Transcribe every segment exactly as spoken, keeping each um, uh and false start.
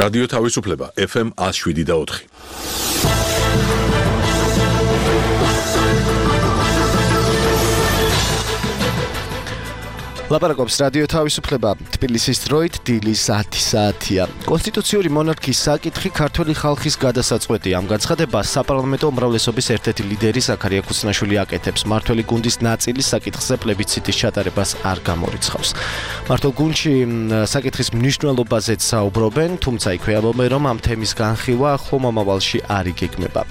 რადიო თავისუფლება ეფ ემ one oh seven და four. ლაპარაკობს რადიო თავისუფლება თბილისის დროით დილის ათი საათია. კონსტიტუციური მონარქიის საკითხი ქართველი ხალხის გადასაწყვეტია. ამ განცხადებას საპარლამენტო უმრავლესობის ერთ-ერთი ლიდერი ზაქარია ქუსნაშვილი აკეთებს. მმართველი გუნდის ნაწილი საკითხზე პლებიციტის ჩატარებას არ გამორიცხავს. მმართველ გუნდში საკითხის მნიშვნელობაზეც საუბრობენ, თუმცა იქვე ამბობენ, რომ ამ თემის განხილვა ახლო მომავალში არ იგეგმება.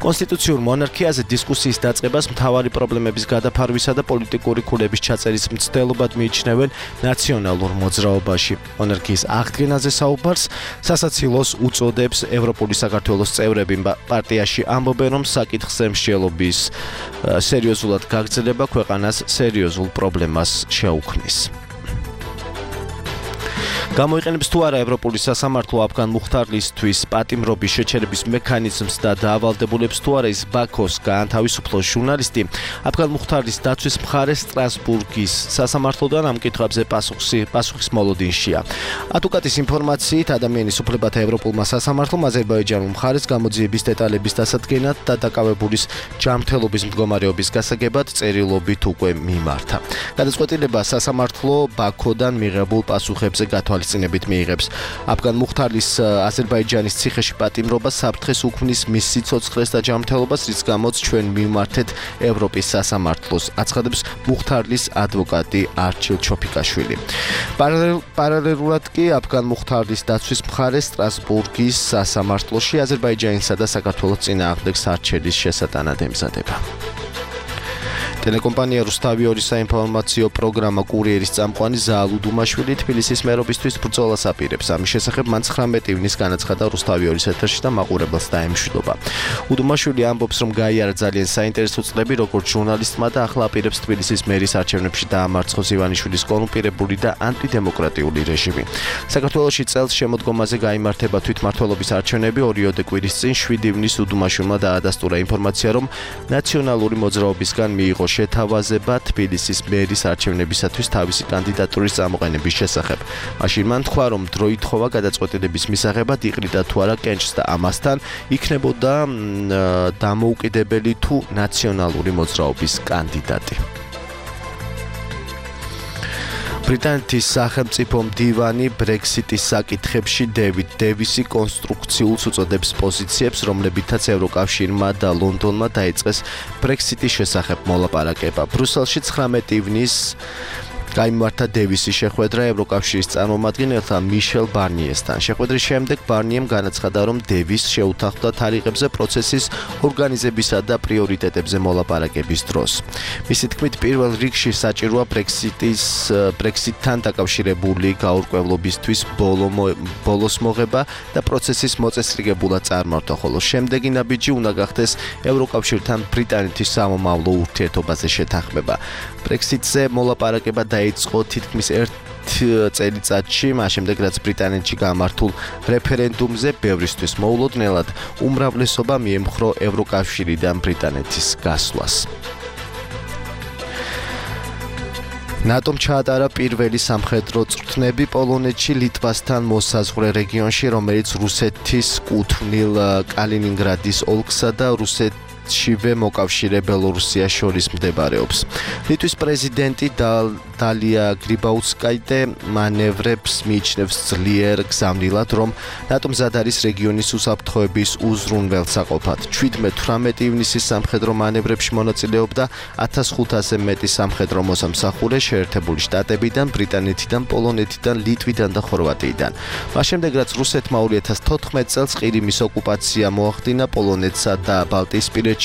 კონსტიტუციურ მონარქიაზე დისკუსიის დაწყებას მთავარი პრობლემების გადაფარვისა და პოლიტიკური ქულების ჩაწერის მცდელობად მიიჩნევენ ნაციონალურ მოძრაობაში. მონარქიის აღდგენაზე საუბარს სასაცილოს უწოდებს ევროპული საქართველოს წევრები. პარტიაში ამბობენ, რომ საკითხზე მსჯელობის სერიოზულად გაგრძელება ქვეყანას სერიოზულ პრობლემას შეუქმნის. გამოიყენებს თუ არა ევროპული სასამართლო აფგან მუხთარლისთვის პატიმრობის შეჩერების მექანიზმს და დაავალდებულებს თუ არა ის ბაქოს გაანთავისუფლოს ჟურნალისტი, აფგან მუხთარლის დაცვის მხარე სტრასბურგის სასამართლოდან ამ კითხვებზე პასუხის მოლოდინშია. ატუკატის ინფორმაციით, ადამიანის უფლებათა ევროპულმა სასამართლომ აზერბაიჯანულ მხარეს გამოძიების დეტალების დასადგენად და დაკავებულის ჯანმრთელობის მდგომარეობის გასაგებად წერილობით უკვე მიმართა. გადაწყვეტილება სასამართლო ბაქოდან მიღებულ პასუხებზე გათვალისწინებით მიიღებს. აფგან მუხთარლის აზერბაიჯანის ციხეში პატიმრობა საფრთხეს უქმნის მის სიცოცხლეს და ჯანმრთელობას, რის გამოც ჩვენ მივმართეთ ევროპის სასამართლოს, აცხადებს მუხთარლის ადვოკატი არჩილ ჩოფიკაშვილი. პარალელურად კი აფგან მუხთარლის დაცვის მხარე სტრასბურგის სასამართლოში აზერბაიჯანისა და საქართველოს წინააღმდეგ სარჩელის შესატანად ემზადება. ტელეკომპანია რუსთავი ორი საინფორმაციო პროგრამა კურიერის წამყვანი ზაალ უდუმაშვილი თბილისის მერობისთვის ბრძოლას აპირებს. ამის შესახებ მან ცხრამეტი ივნის განაცხადა რუსთავი ორის ეთერში და მაყურებელს დაემშვიდობა. უდუმაშვილი ამბობს, რომ გაიარა ძალიან საინტერესო წლები როგორც ჟურნალისტმა და ახლა აპირებს თბილისის მერის არჩევნებში დაამარცხოს ივანიშვილის კორუმპირებული და ანტიდემოკრატიული რეჟიმი. საქართველოში წელს შემოდგომაზე გაიმართება თვითმმართველობის არჩევნები. ორიოდე კვირის წინ შვიდი ივნის უდუმაშვილმა დაადასტურა ინფორმაცია, რომ ნაციონალური მოძრაობისგან მიიღო შეთავაზება თბილისის მერის არჩევნებისათვის თავისი კანდიდატურის წამოყენების შესახებ. მაშინ მან თქვა, რომ დრო ითხოვა გადაწყვეტილების მისაღებად იყრიდა თუ არა კენჭს და ამასთან იქნებოდა დამოუკიდებელი თუ ნაციონალური მოძრაობის კანდიდატი. ბრიტანეთის სახელმწიფო მდივანი ბრექსიტის საკითხებში დევიდ დევისი კონსტრუქციულს უწოდებს პოზიციებს, რომლებითაც ევროკავშირმა და ლონდონმა დაიწყეს ბრექსიტის შესახებ მოლაპარაკება. ბრუსელში ცხრამეტი ივნის გაიმართა დევისის შეხვედრა ევროკავშირის წარმომადგენელთა მიშელ ბარნიესთან. შეხვედრის შემდეგ ბარნიემ განაცხადა, რომ დევის შეუთანხმდა თარიღებზე პროცესის ორგანიზებისა და პრიორიტეტებზე მოლაპარაკების დროს. მისი თქმით, პირველ რიგში საჭიროა ბრექსიტის ბრექსიტთან დაკავშირებული გაურკვევლობისთვის ბოლოს მოღება და პროცესის მოწესრიგებულად წარმართვა, ხოლო შემდეგი ნაბიჯი უნდა გახდეს ევროკავშირთან ბრიტანეთის სამომავლო ურთიერთობაზე შეთანხმება. ბრექსიტზე მოლაპარაკება დაიწყო თითქმის ერთ წელიწადში, მას შემდეგ რაც ბრიტანეთში გამართულ რეფერენდუმზე ბევრისთვის მოულოდნელად უმრავლესობა მიემხრო ევროკავშირიდან ბრიტანეთის გასვლას. ნატომ ჩაატარა პირველი სამხედრო წვრთნები პოლონეთში ლიტვასთან მოსაზღვრე რეგიონში, რომელიც რუსეთის კუთვნილ კალინინგრადის ოლქსა და რუსეთ შივე მოკავშირე ბელორუსიას შორის მდებარეობს. ლიტვის პრეზიდენტი დალია გრიბაუსკაიტე მანევრებს მიიჩნევს ძლიერ გზავნილად, რომ ნატომ მზად არის რეგიონის უსაფრთხოების უზრუნველსაყოფად. შვიდმეტ-თვრამეტი ივნისის სამხედრო მანევრებში მონაწილეობდა ათას ხუთასზე მეტი სამხედრო მოსამსახურე შეერთებული შტატებიდან, ბრიტანეთიდან, პოლონეთიდან, ლიტვიდან და ხორვატიიდან. მას შემდეგ, რაც რუსეთმა ორი ათას თოთხმეტ წელს ყირიმის ოკუპაცია მოახდინა, პოლონეთსა და ბალტიისპირეთში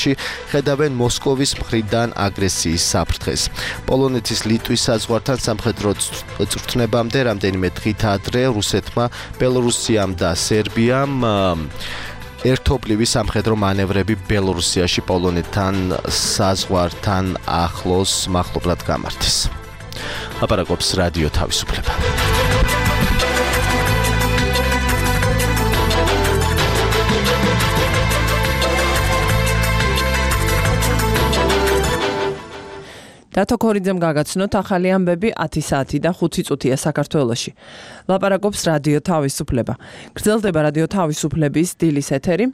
ხედავენ მოსკოვის მხრიდან აგრესიის საფრთხეს. პოლონეთის ლიტვის საზღვართან სამხედრო წვრთნებამდე რამდენიმე დღით ადრე რუსეთმა, ბელორუსიამ და სერბიამ ერთობლივი სამხედრო მანევრები ბელორუსიაში პოლონეთთან საზღვართან ახლოს მახლობლად გამართეს. ლაპარაკობს რადიო თავისუფლება. დათო ქორიძემ გაგაცნოთ ახალი ამბები ათი საათი და ხუთი წუთია საქართველოში. ლაპარაკობს რადიო თავისუფლება. გრძელდება რადიო თავისუფლების დილის ეთერი.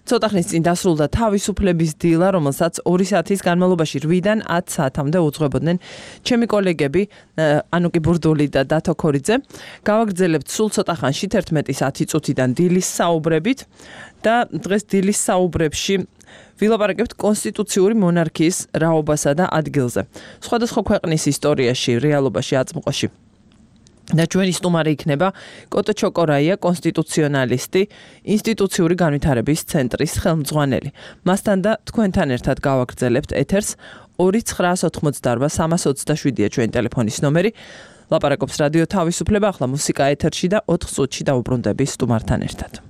ცოტა ხნის წინ დასრულდა თავისუფლების დილა, რომელსაც ორი საათის განმავლობაში რვიდან ათ საათამდე უძღვებოდნენ ჩემი კოლეგები ანუკი ბურდული და დათო ქორიძე. გავაგრძელებთ სულ ცოტა ხანში თერთმეტის ათი წუთიდან დილის საუბრებით და დღეს დილის საუბრებში ვილაპარაკებთ კონსტიტუციური მონარქიის რაობასა და ადგილზე. სხვადასხვა ქვეყნის ისტორიაში, რეალობაში, აწმყოში. და ჩვენი სტუმარი იქნება კოტო ჩოკორაია, კონსტიტუციონალისტი, ინსტიტუციური განვითარების ცენტრის ხელმძღვანელი. მასთან და თქვენთან ერთად გავაგრძელებთ ეთერს ორი ცხრაას ოთხმოცდაარბა სამას ოცდაშვიდია ჩვენი ტელეფონის ნომერი. ლაპარაკობს რადიო თავისუფლება, ახლა მუსიკა ეთერში და ოთხ წუთში დავუბრუნდები სტუმართან ერთად.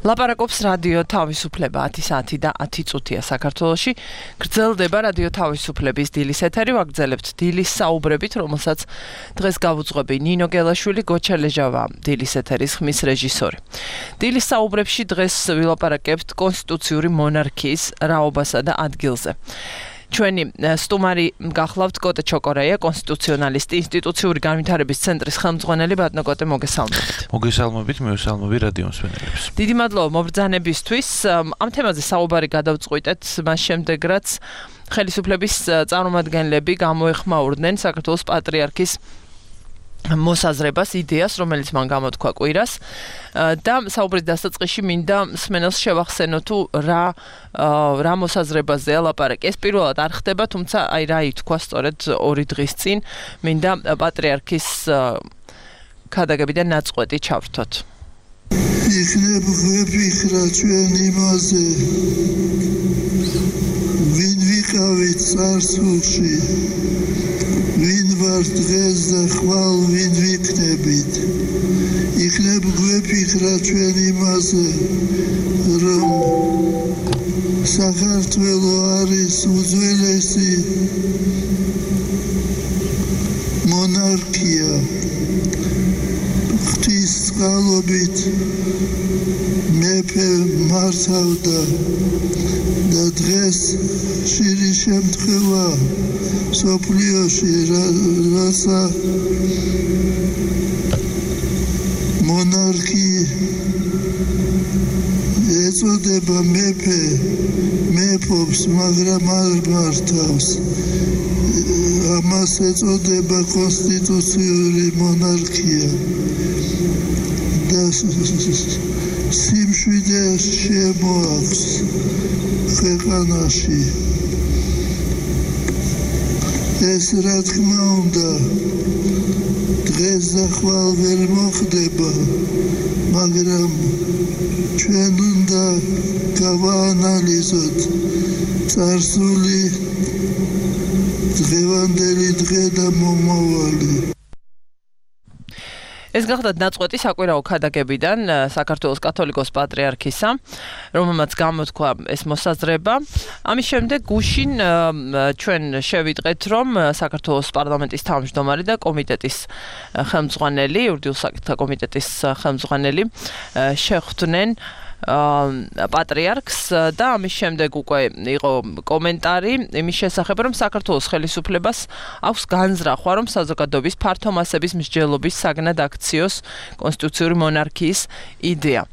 ლაპარაკობს რადიო თავისუფლება ათი საათი და ათი წუთია საქართველოში. გრძელდება რადიო თავისუფლების დილის ეთერი, ვაგრძელებთ დილის საუბრებით, რომელსაც დღეს გავუძღვები ნინო გელაშვილი, გოჩა ლეჟავა, დილის ეთერის ხმის რეჟისორი. დილის საუბრებში დღეს ვილაპარაკებთ კონსტიტუციური მონარქიის რაობასა და ადგილზე. ჩვენი სტუმარი გახლავთ კოტე ჩოკორაია, კონსტიტუციონალისტი, ინსტიტუციური განვითარების ცენტრის ხელმძღვანელი. ბატონო კოტე, მოგესალმებით. მოგესალმებით, მევესალმები რადიო მსმენელებს. დიდი მადლობა მობრძანებისთვის. ამ თემაზე საუბარი გადავწყვიტეთ, მას შემდეგ რაც ხელისუფლების წარმომადგენლები გამოეხმაურდნენ საქართველოს პატრიარქის მოსაზრებას, იდეას, რომელიც მან გამოთქვა კვირას და საუბრის დასაწყისში მინდა მსმენელს შევახსენო თუ რა რა მოსაზრებაზეა ლაპარაკი. ეს პირველად არ ხდება, თუმცა აი რა ითქვა სწორედ ორი დღის წინ, მინდა პატრიარქის ქადაგებიდან ნაწყვეტი ჩავრთოთ. იქნებ ვეფიქრა ჩვენ იმაზე, ვინ ვიყავით წარსულში, ვინ ვარ დღეს და ხვალ ვინ ვიქნებით. იქნებ გვეფიქრა ჩვენ იმაზე, რომ საქართველო არის უძველესი მონარქია. ღვთის წყალობით მეფე მართავდა და დღეს ხშირი შემთხვევა სოფლიოში რაცა მონარქი ეწოდება მეფე მეფობს, მაგრამ არ მართავს. ამას ეწოდება კონსტიტუციური მონარქია და სიმშვიდე შემოაქვს ქვეყანაში. ეს რა თქმა უნდა დღეს და ხვალ ვერ მოხდება, მაგრამ ჩვენ უნდა გავაანალიზოთ წარსული, დღევანდელი დღე და მომავალი. ეს გახლავთ ნაწყვეტი საკვირაო ქადაგებიდან საქართველოს კათოლიკოს პატრიარქისა, რომელმაც გამოთქვა ეს მოსაზრება. ამის შემდეგ გუშინ ჩვენ შევიტყეთ, რომ საქართველოს პარლამენტის თავმჯდომარე და კომიტეტის ხელმძღვანელი, იურიდიულ საკითხთა კომიტეტის ხელმძღვანელი შეხვდნენ პატრიარქს და ამის შემდეგ უკვე იყო კომენტარი იმის შესახებ, რომ საქართველოს ხელისუფლებას აქვს განზრახვა, რომ საზოგადოების ფართო მასების მსჯელობის საგნად აქციოს კონსტიტუციური მონარქიის იდეა.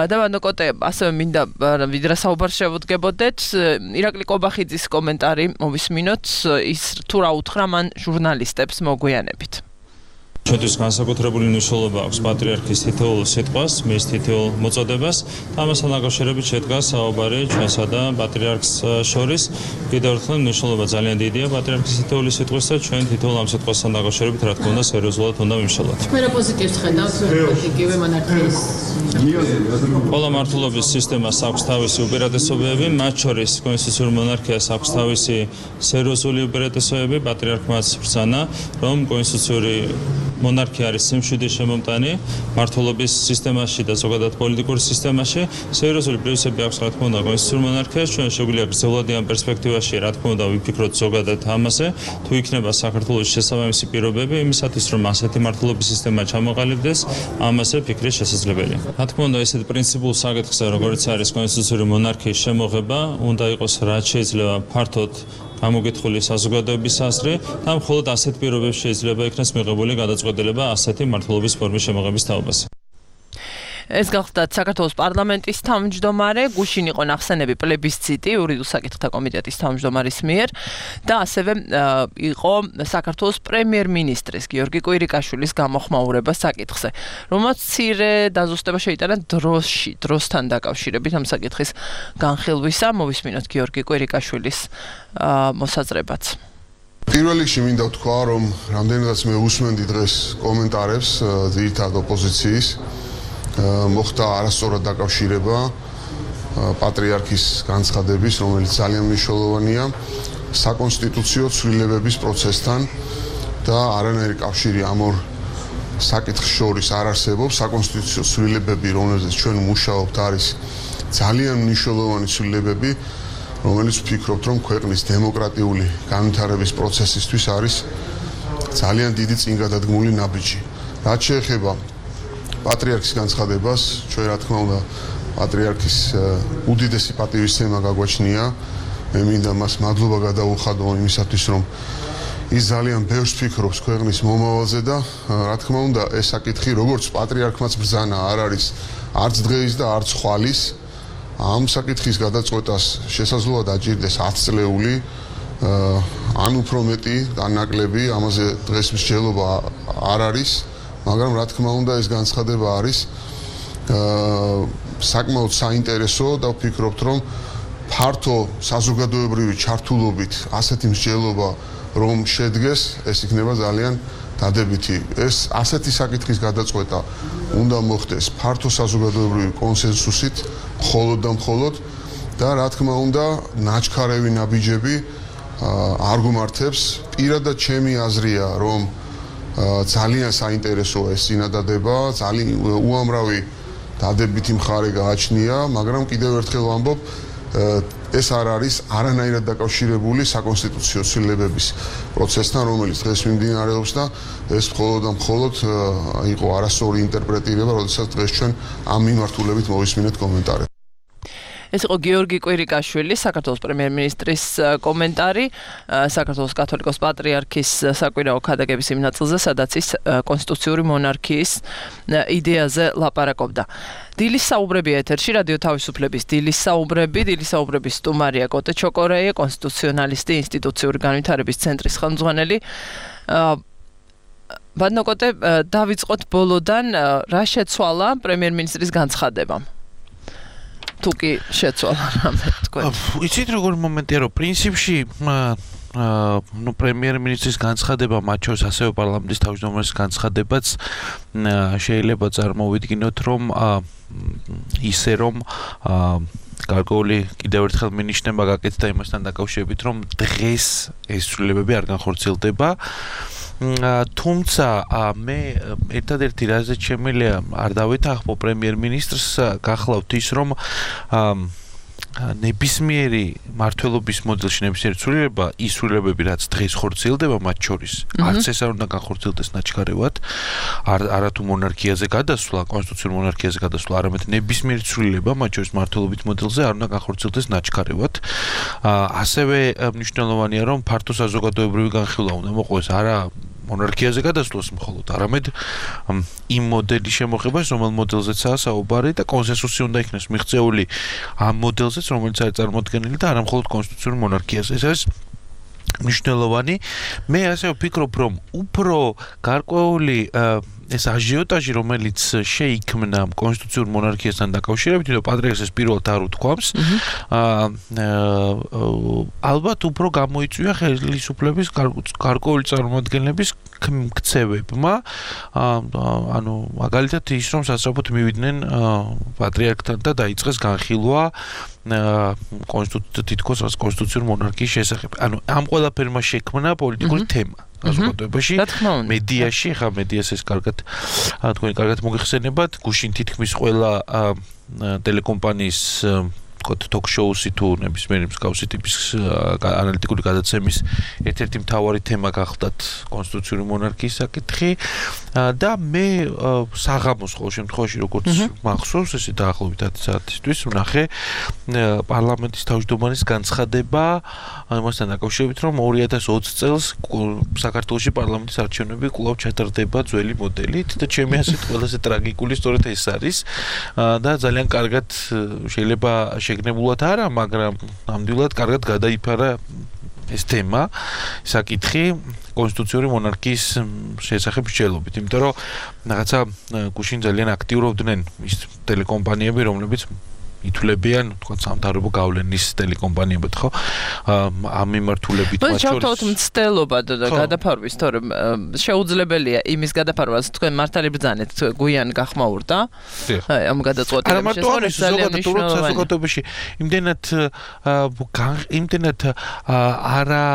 და ბატონო კოტე, ასევე მინდა ვიდრე საუბარს შევუდგებოდეთ, ირაკლი კობახიძის კომენტარი მოვისმინოთ, ის თუ რა უთხრა მან ჟურნალისტებს მოგვიანებით. ჩვენთვის განსაკუთრებული მნიშვნელობა აქვს პატრიარქის თითოეულ სიტყვას, მის თითოეულ მოწოდებას. ამასთან დაკავშირებით შედგა საუბარი ჩვენსა და პატრიარქს შორის. კიდევ ერთხელ მნიშვნელობა ძალიან დიდია პატრიარქის თითოეული სიტყვის და ჩვენ თითოეულ ამ სიტყვასთან დაკავშირებით რა თქმა უნდა სერიოზულად უნდა ვიმშალოთ. მე რა პოზიტივს ხედავთ იგივე მონარქიის? ყველა მართლობის სისტემას აქვს თავისი უპირატესობები, მათ შორის კონსტიტუციური მონარქიას აქვს თავისი სერიოზული უპირატესობები. პატრიარქმაც ბრძანა, რომ კონსტიტუციური მონარქია არის სიმშვიდე შემომტანი მართლობის სისტემაში და ზოგადად პოლიტიკურ სისტემაში. სერიოზული პრინციპი აქვს რა თქმა უნდა კონსტიტუციური მონარქიას. ჩვენ შეგვიძლია გრძელვადიან ამ პერსპექტივაში რა თქმა უნდა ვიფიქროთ ზოგადად ამაზე, თუ იქნება საქართველოს შესაბამისი პირობები იმისათვის, რომ ასეთი მართლობის სისტემა ჩამოყალიბდეს, ამაზე ფიქრი შესაძლებელია. რა თქმა უნდა ესეთ პრინციპულ საკითხზე, როგორც არის კონსტიტუციური მონარქიის შემოღება, უნდა იყოს რაც შეიძლება ფართოდ გამოგითხრული საზოგადოების აზრი და მხოლოდ ასეთ პირობებში შეიძლება იქნას მიღებული გადაწყვეტილება ასეთი მართლობის ფორმის შემოღების თაობაზე. ეს გახლავთ საქართველოს პარლამენტის თავმჯდომარე, გუშინ იყო ნახსენები პლებისციტი იურიდიულ საკითხთა კომიტეტის თავმჯდომარის მიერ და ასევე იყო საქართველოს პრემიერ-მინისტრის გიორგი კვირიკაშვილის გამოხმაურება საკითხზე, რომელმაც მცირე დაზუსტება შეიტანა დროში, დროსთან დაკავშირებით ამ საკითხის განხილვისა. მოვისმინოთ გიორგი კვირიკაშვილის მოსაზრებაც. პირველ რიგში მინდა ვთქვა, რომ რამდენადაც მე უსმენდი დღეს კომენტარებს ძირითადად ოპოზიციის, მოხდა არასწორად დაკავშირება პატრიარქის განცხადების, რომელიც ძალიან მნიშვნელოვანია საკონსტიტუციო ცვლილებების პროცესთან და არანაირი კავშირი ამ ორ საკითხს შორის არ არსებობს საკონსტიტუციო ცვლილებები, რომელზეც ჩვენ მუშაობთ, არის ძალიან მნიშვნელოვანი ცვლილებები, რომელიც ვფიქრობთ, რომ ქვეყნის დემოკრატიული განვითარების პროცესისთვის არის ძალიან დიდი წინგადადგმული ნაბიჯი. რაც შეეხება პატრიარქის განცხადებას, ჩვენ რა თქმა უნდა პატრიარქის უდიდესი პატივისცემა გაგვაჩნია. მე მინდა მას მადლობა გადაუხადო იმისათვის, რომ ის ძალიან ბევრს ფიქრობს ქვეყნის მომავალზე და რა თქმა უნდა ეს საკითხი როგორც პატრიარქმაც ბრძანა არ არის არც დღეის და არც ხვალის. ამ საკითხის გადაწყვეტას შესაძლოა დაჭირდეს ათი წლეული ან უფრო მეტი ან ნაკლები, ამაზე დღეს მსჯელობა არ არის, მაგრამ რა თქმა უნდა ეს განცხადება არის საკმაოდ საინტერესო და ვფიქრობთ, რომ ფართო საზოგადოებრივი ჩართულობით ასეთი მსჯელობა რომ შედგეს, ეს იქნება ძალიან დადებითი. ეს ასეთი საკითხის გადაწყვეტა უნდა მოხდეს ფართო საზოგადოებრივი კონსენსუსით, მხოლოდ და მხოლოდ და რა თქმა უნდა, ნაჩქარევი ნაბიჯები არ გუმართებს. პირადად ჩემი აზრია, რომ ძალიან საინტერესოა ეს წინადადება, ძალიან უამრავი დადებითი მხარე გააჩნია, მაგრამ კიდევ ერთხელ ვამბობ, ეს არ არის არანაირად დაკავშირებული საკონსტიტუციო ცვლილებების პროცესთან, რომელიც დღეს მიმდინარეობს და ეს მხოლოდ და მხოლოდ იყო არასწორი ინტერპრეტირება, როდესაც დღეს ჩვენ ამ მიმართულებით მოვისმინეთ კომენტარები. ეს იყო გიორგი კვირიკაშვილი, საქართველოს პრემიერ-მინისტრის კომენტარი საქართველოს კათოლიკოს პატრიარქის საკვირაო ქადაგების იმ ნაწილზე, სადაც ის კონსტიტუციური მონარქიის იდეაზე ლაპარაკობდა. დილის საუბრები ეთერში, რადიო თავისუფლების დილის საუბრები, დილის საუბრების სტუმარია კოტე ჩოკორეია, კონსტიტუციონალისტი, ინსტიტუციური განვითარების ცენტრის ხელმძღვანელი. ბატონო კოტე, დავიწყოთ ბოლოდან, რა შეცვალა პრემიერ-მინისტრის განცხადებამ? თუკი შეცვალა რამე თქვენ. იცით როგორი მომენტია, რომ პრინციპში ну პრემიერ-მინისტრის განცხადება, მათ შორის ასევე პარლამენტის თავმჯდომარის განცხადებაც შეიძლება წარმოვიდგინოთ, რომ ისე რომ გარკვეული კიდევ ერთხელ მინიშნება გაკეთდა იმასთან დაკავშირებით, რომ დღეს ეს ცვლილებები არ განხორციელდება. თუმცა მე ერთადერთი რაზეც შემიძლია არ დავითანხმო პრემიერ-მინისტრს გახლავთ ის, რომ ნებისმიერი მართლობის მოდელში ნებისმიერი ცვლილება, ის ცვლილებები, რაც დღეს ხორციელდება, მათ შორის არც ეს არ უნდა განხორციელდეს ნაჩქარევად, არათუ მონარქიაზე გადასვლა, კონსტიტუციურ მონარქიაზე გადასვლა, არამედ ნებისმიერი ცვლილება, მათ შორის მართლობით მოდელზე არ უნდა განხორციელდეს ნაჩქარევად. ასევე მნიშვნელოვანია, რომ ფართო საზოგადოებრივი განხილვა უნდა მოყვეს არა მონარქიაზე გადასვლას მხოლოდ, არამედ იმ მოდელის შემოღებას, რომელ მოდელზეცაა საუბარი და კონსენსუსი უნდა იქნეს მიღწეული ამ მოდელზეც, რომელიც არის წარმოდგენილი და არა მხოლოდ კონსტიტუციური მონარქიაზე. ეს არის მნიშვნელოვანი. მე ასე ვფიქრობ, რომ უფრო გარკვეული ეს აჟიოტაჟი, რომელიც შეიქმნა კონსტიტუციურ მონარქიასთან დაკავშირებით, თუმცა პატრიარქს ეს პირველად არ უთქვამს, ალბათ უფრო გამოიწვია ხელისუფლების გარკვეული წარმოადგენლების ქცევებმა, ანუ მაგალითად ის, რომ სასწრაფოდ მივიდნენ პატრიარქთან და დაიწყეს განხილვა კონსტიტუციური თითქოს კონსტიტუციური მონარქიის შესახებ. ანუ ამ ყველაფერმა შექმნა პოლიტიკური თემა. საზოგადოებაში, მედიაში, ხა მედიას ეს კარგად თქვენ კარგად მოგიხსენებათ, გუშინ თითქმის ყველა ტელეკომპანიის ток-შოუსი თუ ნებისმიერი მსგავსი ტიპის ანალიტიკური გადაცემის ერთ-ერთი მთავარი თემა გახდათ კონსტიტუციური მონარქიის საკითხი და მე საღამოს ყოველ შემთხვევაში როგორც მახსოვს ესე დაახლოებით ათი საათისთვის ვნახე პარლამენტის თავმჯდომარის განცხადება ამასთან დაკავშირებით რომ ორი ათას ოცი წელს საქართველოში პარლამენტის არჩევნები კვლავ ჩატარდება ძველი მოდელით და ჩემი აზრით ყველაზე ტრაგიკული სწორედ ეს არის და ძალიან კარგად შეიძლება შეგნებულად არა, მაგრამ ნამდვილად კარგად გადაიფარა ეს თემა, საკითხი კონსტიტუციური მონარქიის შესახებ მსჯელობით, იმიტომ რომ რაღაცა გუშინ ძალიან აქტიურობდნენ ის ტელეკომპანიები, რომლებიც ითვლებიან, თქვა სამთავრობო გავლენის ტელეკომპანიებად, ხო? ამ მიმართულებით მათ შორის. შევთავაზოთ მცდელობა და გადაფარვის, თორემ შეუძლებელია იმის გადაფარვას თქვენ მართალი ბრძანეთ, გვიან გახმაურდა. ამ გადაწყვეტილების შესახებ ძალიან მნიშვნელოვანია. საზოგადოებაში იმდენად იმდენად არა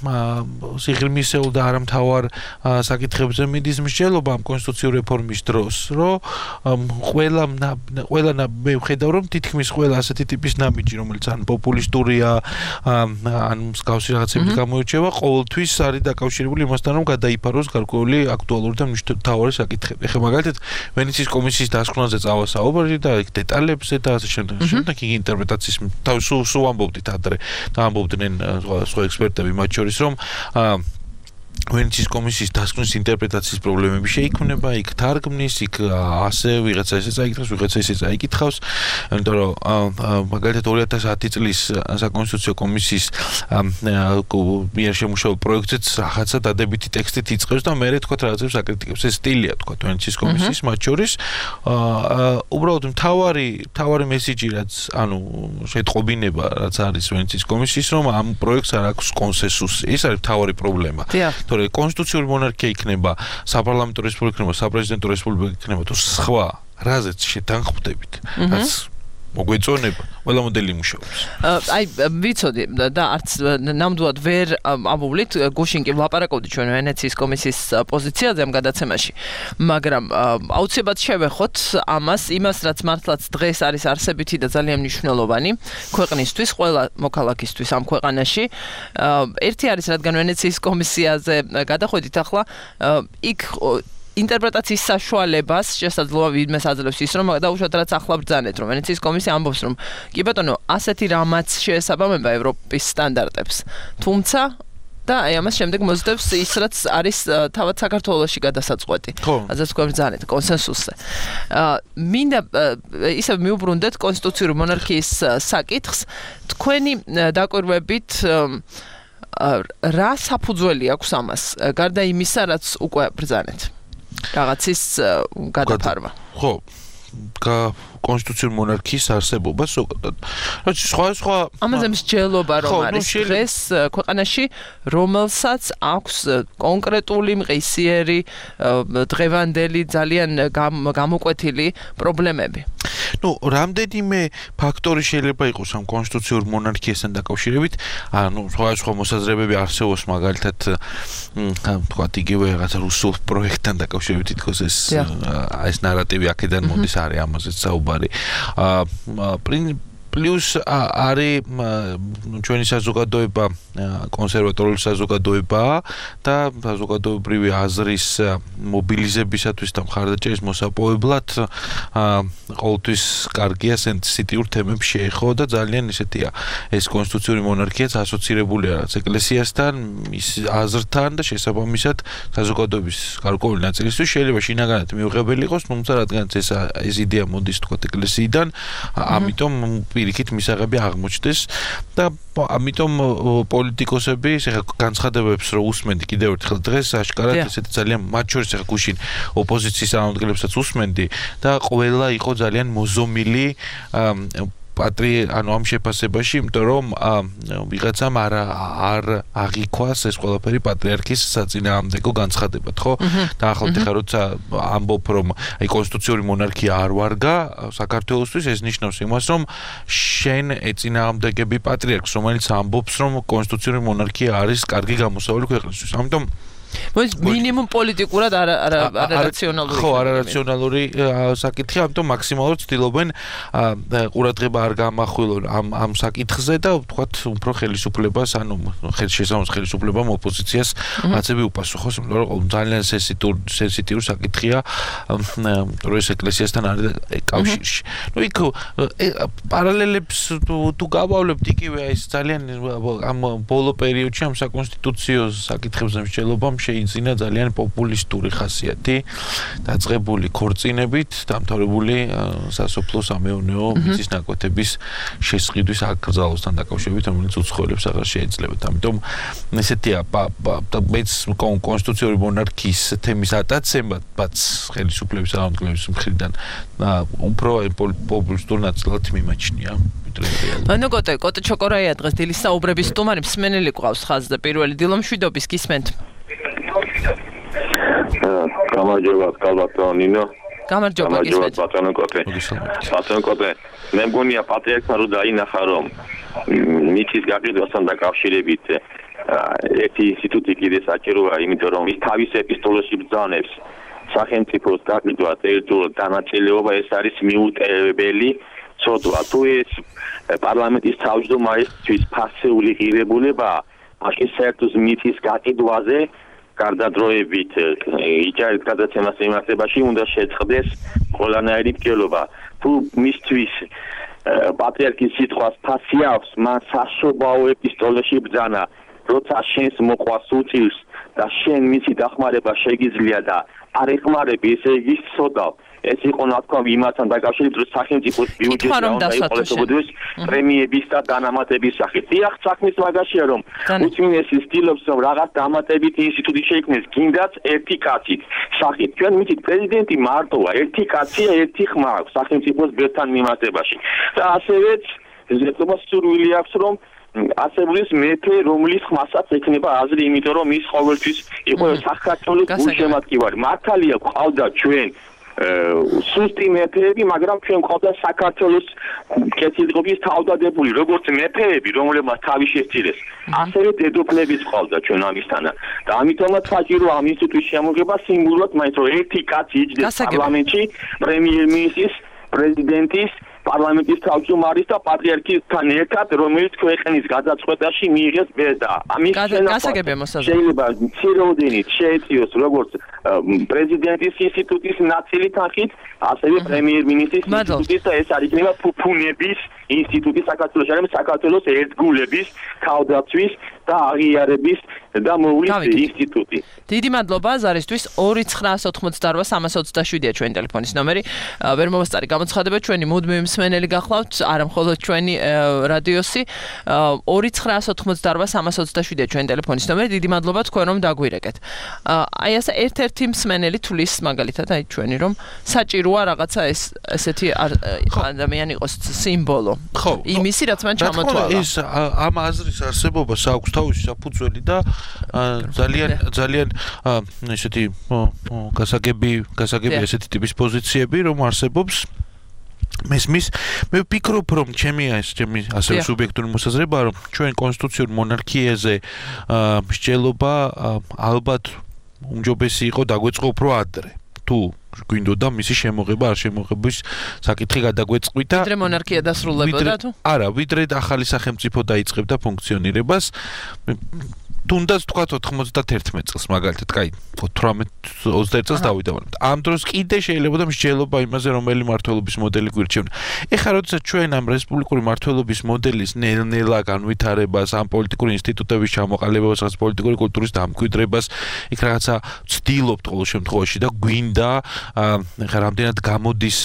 სიღრმისეულ და არამთავარ საკითხებზე მიდის მსჯელობა ამ კონსტიტუციური რეფორმის დროს, რომ ყველა ყველა მე ვხედავ რომ თითქმის ყველა ასეთი ტიპის ნაბიჯი, რომელიც ან პოპულისტურია, ან მსგავსი რაღაცებით გამოირჩევა, ყოველთვის არის დაკავშირებული იმასთან, რომ გადაიფაროს გარკვეული აქტუალური და მთავარი საკითხები. ეხლა მაგალითად ვენეციის კომისიის დასკვნაზე წავა საუბარი და იქ დეტალებზე და ასე შემდეგ. შემდეგ იქ ინტერპრეტაციის თავის სულ ამბობდით ადრე და ამბობდნენ სხვა ექსპერტები, მათ შორის რომ ვენეციის კომისიის დასკვნის ინტერპრეტაციის პრობლემები შეიქმნება, იქ თარგმნის, იქ ასე ვიღაცა ესე წაიკითხავს, ვიღაცა ესე წაიკითხავს, იმიტომ რომ მაგალითად ორი ათას ათი წლის საკონსტიტუციო კომისიის მიერ შემუშავებულ პროექტზეც რაღაცა დადებითი ტექსტით იწყებს და მერე თქვა რაღაცებს აკრიტიკებს. ეს სტილია თქვა ვენეციის კომისიის, მათ შორის უბრალოდ მთავარი მთავარი მესიჯი რაც ანუ შეტყობინება რაც არის ვენეციის კომისიის, რომ ამ პროექტს არ აქვს კონსენსუსი. ეს არის მთავარი პრობლემა. თორე კონსტიტუციური მონარქია იქნება, საპარლამენტო რესპუბლიკა იქნება, საპრეზიდენტო რესპუბლიკა იქნება თუ სხვა, რაზეც შეთანხმდებით, რაც მოგვეწონება, ყველა მოდელი მუშაობს. აი, ვიცოდი და არც ნამდვილად ვერ ამოვლით, გუშინ კი ვლაპარაკობდით ჩვენ ვენეციის კომისიის პოზიციაზე ამ გადაცემაში, მაგრამ აუცილებლად შევეხოთ ამას, იმას, რაც მართლაც დღეს არის არსებითი და ძალიან მნიშვნელოვანი ქვეყნისთვის, ყველა მოქალაქისთვის ამ ქვეყანაში. ერთი არის, რადგან ვენეციის კომისიაზე გადახვედით ახლა, იქ ინტერპრეტაციის საშუალებას შესაძლოა ვინმეს აძლევს ის, რომ დაუშვათ რაც ახლა ბრძანეთ, რომ ვენეციის კომისია ამბობს, რომ კი ბატონო, ასეთი რამაც შეესაბამება ევროპის სტანდარტებს. თუმცა და აი ამას შემდეგ მოძდებს ის, რაც არის თავად საქართველოში გადასაწყვეტი. ასე თქვა ბრძანეთ კონსენსუსზე. მინდა ისევ მიუბრუნდეთ კონსტიტუციური მონარქიის საკითხს. თქვენი დაკვირვებით რა საფუძველი აქვს ამას, გარდა იმისა, რაც უკვე ბრძანეთ? რაღაცის გადაფარვა. ხო, კონსტიტუციური მონარქიის არსებობა ზოგადად. რაც სხვა სხვა ამაზე მსჯელობა რომ არის დღეს ქვეყანაში, რომელსაც აქვს კონკრეტული მყისიერი დღევანდელი ძალიან გამოკვეთილი პრობლემები. ნუ, რამდენიმე ფაქტორი შეიძლება იყოს ამ კონსტიტუციური მონარქიასთან დაკავშირებით, ანუ სხვა სხვა მოსაზრებები არსებობს, მაგალითად, თქვათ იგივე რაღაცა რუსულ პროექტთან დაკავშირებით თითქოს ეს ეს ნარატივი აქედან მოდის, არის ამაზეც საუბარი. პლუს არის ჩვენი საზოგადოება კონსერვატორული საზოგადოება და საზოგადოებრივი აზრის მობილიზებისათვის და მხარდაჭერის მოსაპოვებლად ყოველთვის კარგია სენსიტიურ თემებს შეეხო და ძალიან ისეთია ეს კონსტიტუციური მონარქიაც ასოცირებულია რაც ეკლესიასთან, მის აზრთან და შესაბამისად საზოგადოების გარკვეული ნაწილისთვის შეიძლება შინაგანად მიუღებელი იყოს, თუმცა რადგანაც ეს ეს იდეა მოდის თქვა ეკლესიიდან, ამიტომ პირიქით მისაღები აღმოჩნდეს და ამიტომ პოლიტიკოსები ეხლა განცხადებებს რო უსმენდი კიდევ ერთხელ დღეს აშკარად ესეთი ძალიან მათ შორის ეხლა გუშინ ოპოზიციის წარმომადგენლებსაც უსმენდი და ყველა იყო ძალიან მოზომილი პატრი ანუ ამ შეფასებაში, იმიტომ რომ ვიღაცამ არ არ აღიქვას ეს ყველაფერი პატრიარქის საწინააღმდეგო განცხადებად, ხო? და ახლა ხა როცა ამბობ რომ აი კონსტიტუციური მონარქია არ ვარგა საქართველოსთვის, ეს ნიშნავს იმას, რომ შენ ეწინააღმდეგები პატრიარქს, რომელიც ამბობს, რომ კონსტიტუციური მონარქია არის კარგი გამოსავალი ქვეყნისთვის. ამიტომ მინიმუმ პოლიტიკურად არარაციონალური. ხო, არარაციონალური საკითხი, ამიტომ მაქსიმალურად ცდილობენ ყურადღება არ გამახვილონ ამ ამ საკითხზე და ვთქვათ, უფრო ხელისუფლებას, ანუ ხელშესამოს ხელისუფლებამ ოპოზიციას აცები უპასუხოს, იმიტომ რომ ძალიან სენსიტიური საკითხია, რომ ეს ეკლესიასთან არის კავშირში. ნუ იქ პარალელებს თუ გავავლებთ იგივე ეს ძალიან ამ ბოლო პერიოდში ამ საკონსტიტუციო საკითხებზე მსჯელობამ შეიძინა ძალიან პოპულისტური ხასიათი, დაწყებული ქორწინებით, დამთავრებული სასოფლო-სამეურნეო მიწის ნაკვეთების შესყიდვის აკრძალვასთან დაკავშირებით, რომელიც უცხოელებს აღარ შეეძლებათ. ამიტომ ესეთია მეც კონსტიტუციური მონარქიის თემის ატაცებაც ხელისუფლების წარმომადგენლების მხრიდან უფრო პოპულისტურ ნაწილად მიმაჩნია. ანუ კოტე, კოტე ჩოკორაია დღეს დილის საუბრების სტუმარი, მსმენელი გვყავს ხაზზე, პირველი დილომშვიდობის გისმენთ. გამარჯობა, ბატონო ნინო. გამარჯობა, გისმენთ. ბატონო კოტე. ბატონო კოტე, მე მგონია პატრიარქმა რო დაინახა, რომ მიწის გაყიდვასთან დაკავშირებით ერთი ინსტიტუტი კიდე საჭიროა, იმიტომ რომ ის თავის ეპისტოლეში ბრძანებს სახელმწიფოს გაყიდვა ტერიტორიულ დანაწილება, ეს არის მიუტევებელი ცოდვა. თუ ეს პარლამენტის თავმჯდომარისთვის ფასეული ღირებულებაა, მაშინ საერთოდ მიწის გაყიდვაზე გარდადროებით იჯარის გადაცემას მიმართებაში უნდა შეწყდეს ყველანაირი მკვლელობა. თუ მისთვის პატრიარქის სიტყვას ფასი აქვს, მან საშობაო ეპისტოლეში ბრძანა, როცა შენს მოყვას უწევს და შენ მისი დახმარება შეგიძლია და არ ეხმარები, ესე იგი სოდავ. ეს იყო ნათქვამი იმასთან დაკავშირებით, რომ სახელმწიფოს ბიუჯეტი უნდა იყოლესებოდეს პრემიების და დანამატების სახით. დიახ, საქმის მაგაშია, რომ უწმინდესი ცდილობს, რომ რაღაც დამატებითი ინსტიტუტი შეიქმნეს, გინდაც ერთი კაცით სახით. ჩვენ ვიცით, პრეზიდენტი მარტოა, ერთი კაცია, ერთი ხმა აქვს სახელმწიფოს ბერთან მიმართებაში. და ასევეც ზეთობას სურვილი აქვს, რომ ასებლის მეფე, რომლის ხმასაც ექნება აზრი, იმიტომ რომ ის ყოველთვის იყო საქართველოს გულშემატკივარი. მართალია, ყავდა ჩვენ სუსტი მეფეები, მაგრამ ჩვენ ყავდა საქართველოს კეთილდღეობის თავდადებული, როგორც მეფეები, რომლებმაც თავი შესწირეს. ასევე დედოფლებიც ყავდა ჩვენ ამისთანა. და ამიტომაც საჭიროა ამ ინსტიტუტის შემოღება სიმბოლურად, მაინც რომ ერთი კაცი იჯდეს პარლამენტში, პრემიერ-მინისტრის, პრეზიდენტის, პარლამენტის თავმჯდომარის და პატრიარქისთან ერთად, რომელიც ქვეყნის გადაწყვეტაში მიიღეს ბედა. ამის შეიძლება მცირეოდენით შეეწიოს როგორც პრეზიდენტის ინსტიტუტის ნაწილი თანხით, ასევე პრემიერ-მინისტრის ინსტიტუტის და ეს არ იქნება ფუფუნების ინსტიტუტი საქართველოს, არის საქართველოს ერთგულების, თავდაცვის და აღიარების და მოვლის ინსტიტუტი. დიდი მადლობა ზარისთვის. ორი ცხრაას ოთხმოცდაორვა სამას ოცდაშვიდია ჩვენი ტელეფონის ნომერი. ვერ მომასწარი გამოცხადება, ჩვენი მუდმივი მსმენელი გახლავთ, არა მხოლოდ ჩვენი რადიოსი. ორი ცხრაას ოთხმოცდაორვა სამას ოცდაშვიდია ჩვენი ტელეფონის ნომერი. დიდი მადლობა თქვენ რომ დაგვირეკეთ. აი ასე ერთ-ერთი მსმენელი თulis მაგალითად აი ჩვენი რომ საჭიროა რაღაცა ეს ესეთი ადამიანი იყოს სიმბოლო. ხო, იმისი რაც მან ჩამოთვალა. ეს ამ აზრის არსებობას აქვს თავისი საფუძველი და ძალიან ძალიან ესეთი გასაგები გასაგები ესეთი ტიპის პოზიციები რომ არსებობს მესმის მე ვფიქრობ რომ ჩემი ეს ჩემი ასევე სუბიექტური მოსაზრება რომ ჩვენ კონსტიტუციურ მონარქიაზე მსჯელობა ალბათ უმჯობესი იყო დაგვეწყო უფრო ადრე თუ გვინდოდა მისი შემოღება არ შემოღების საკითხი გადაგვეწყვიტა ვიდრე მონარქია დასრულებოდა თუ არა ვიდრე ახალი სახელმწიფო დაიწყებდა ფუნქციონირებას თუნდაც თქვა ოთხმოცდაერთმეტ წელს მაგალითად, კაი, ოცდაოთხ ოცდაერთი წელს დავიდა, მაგრამ ამ დროს კიდე შეიძლება და მსჯელობა იმაზე, რომელი მმართველობის მოდელი გვირჩევნა. ეხლა როდესაც ჩვენ ამ რესპუბლიკური მმართველობის მოდელის ნელ-ნელა განვითარებას, ამ პოლიტიკური ინსტიტუტების ჩამოყალიბებას, რაღაც პოლიტიკური კულტურის დამკვიდრებას, იქ რაღაცა ვცდილობთ ყოველ შემთხვევაში და გვინდა, ეხლა რამდენად გამოდის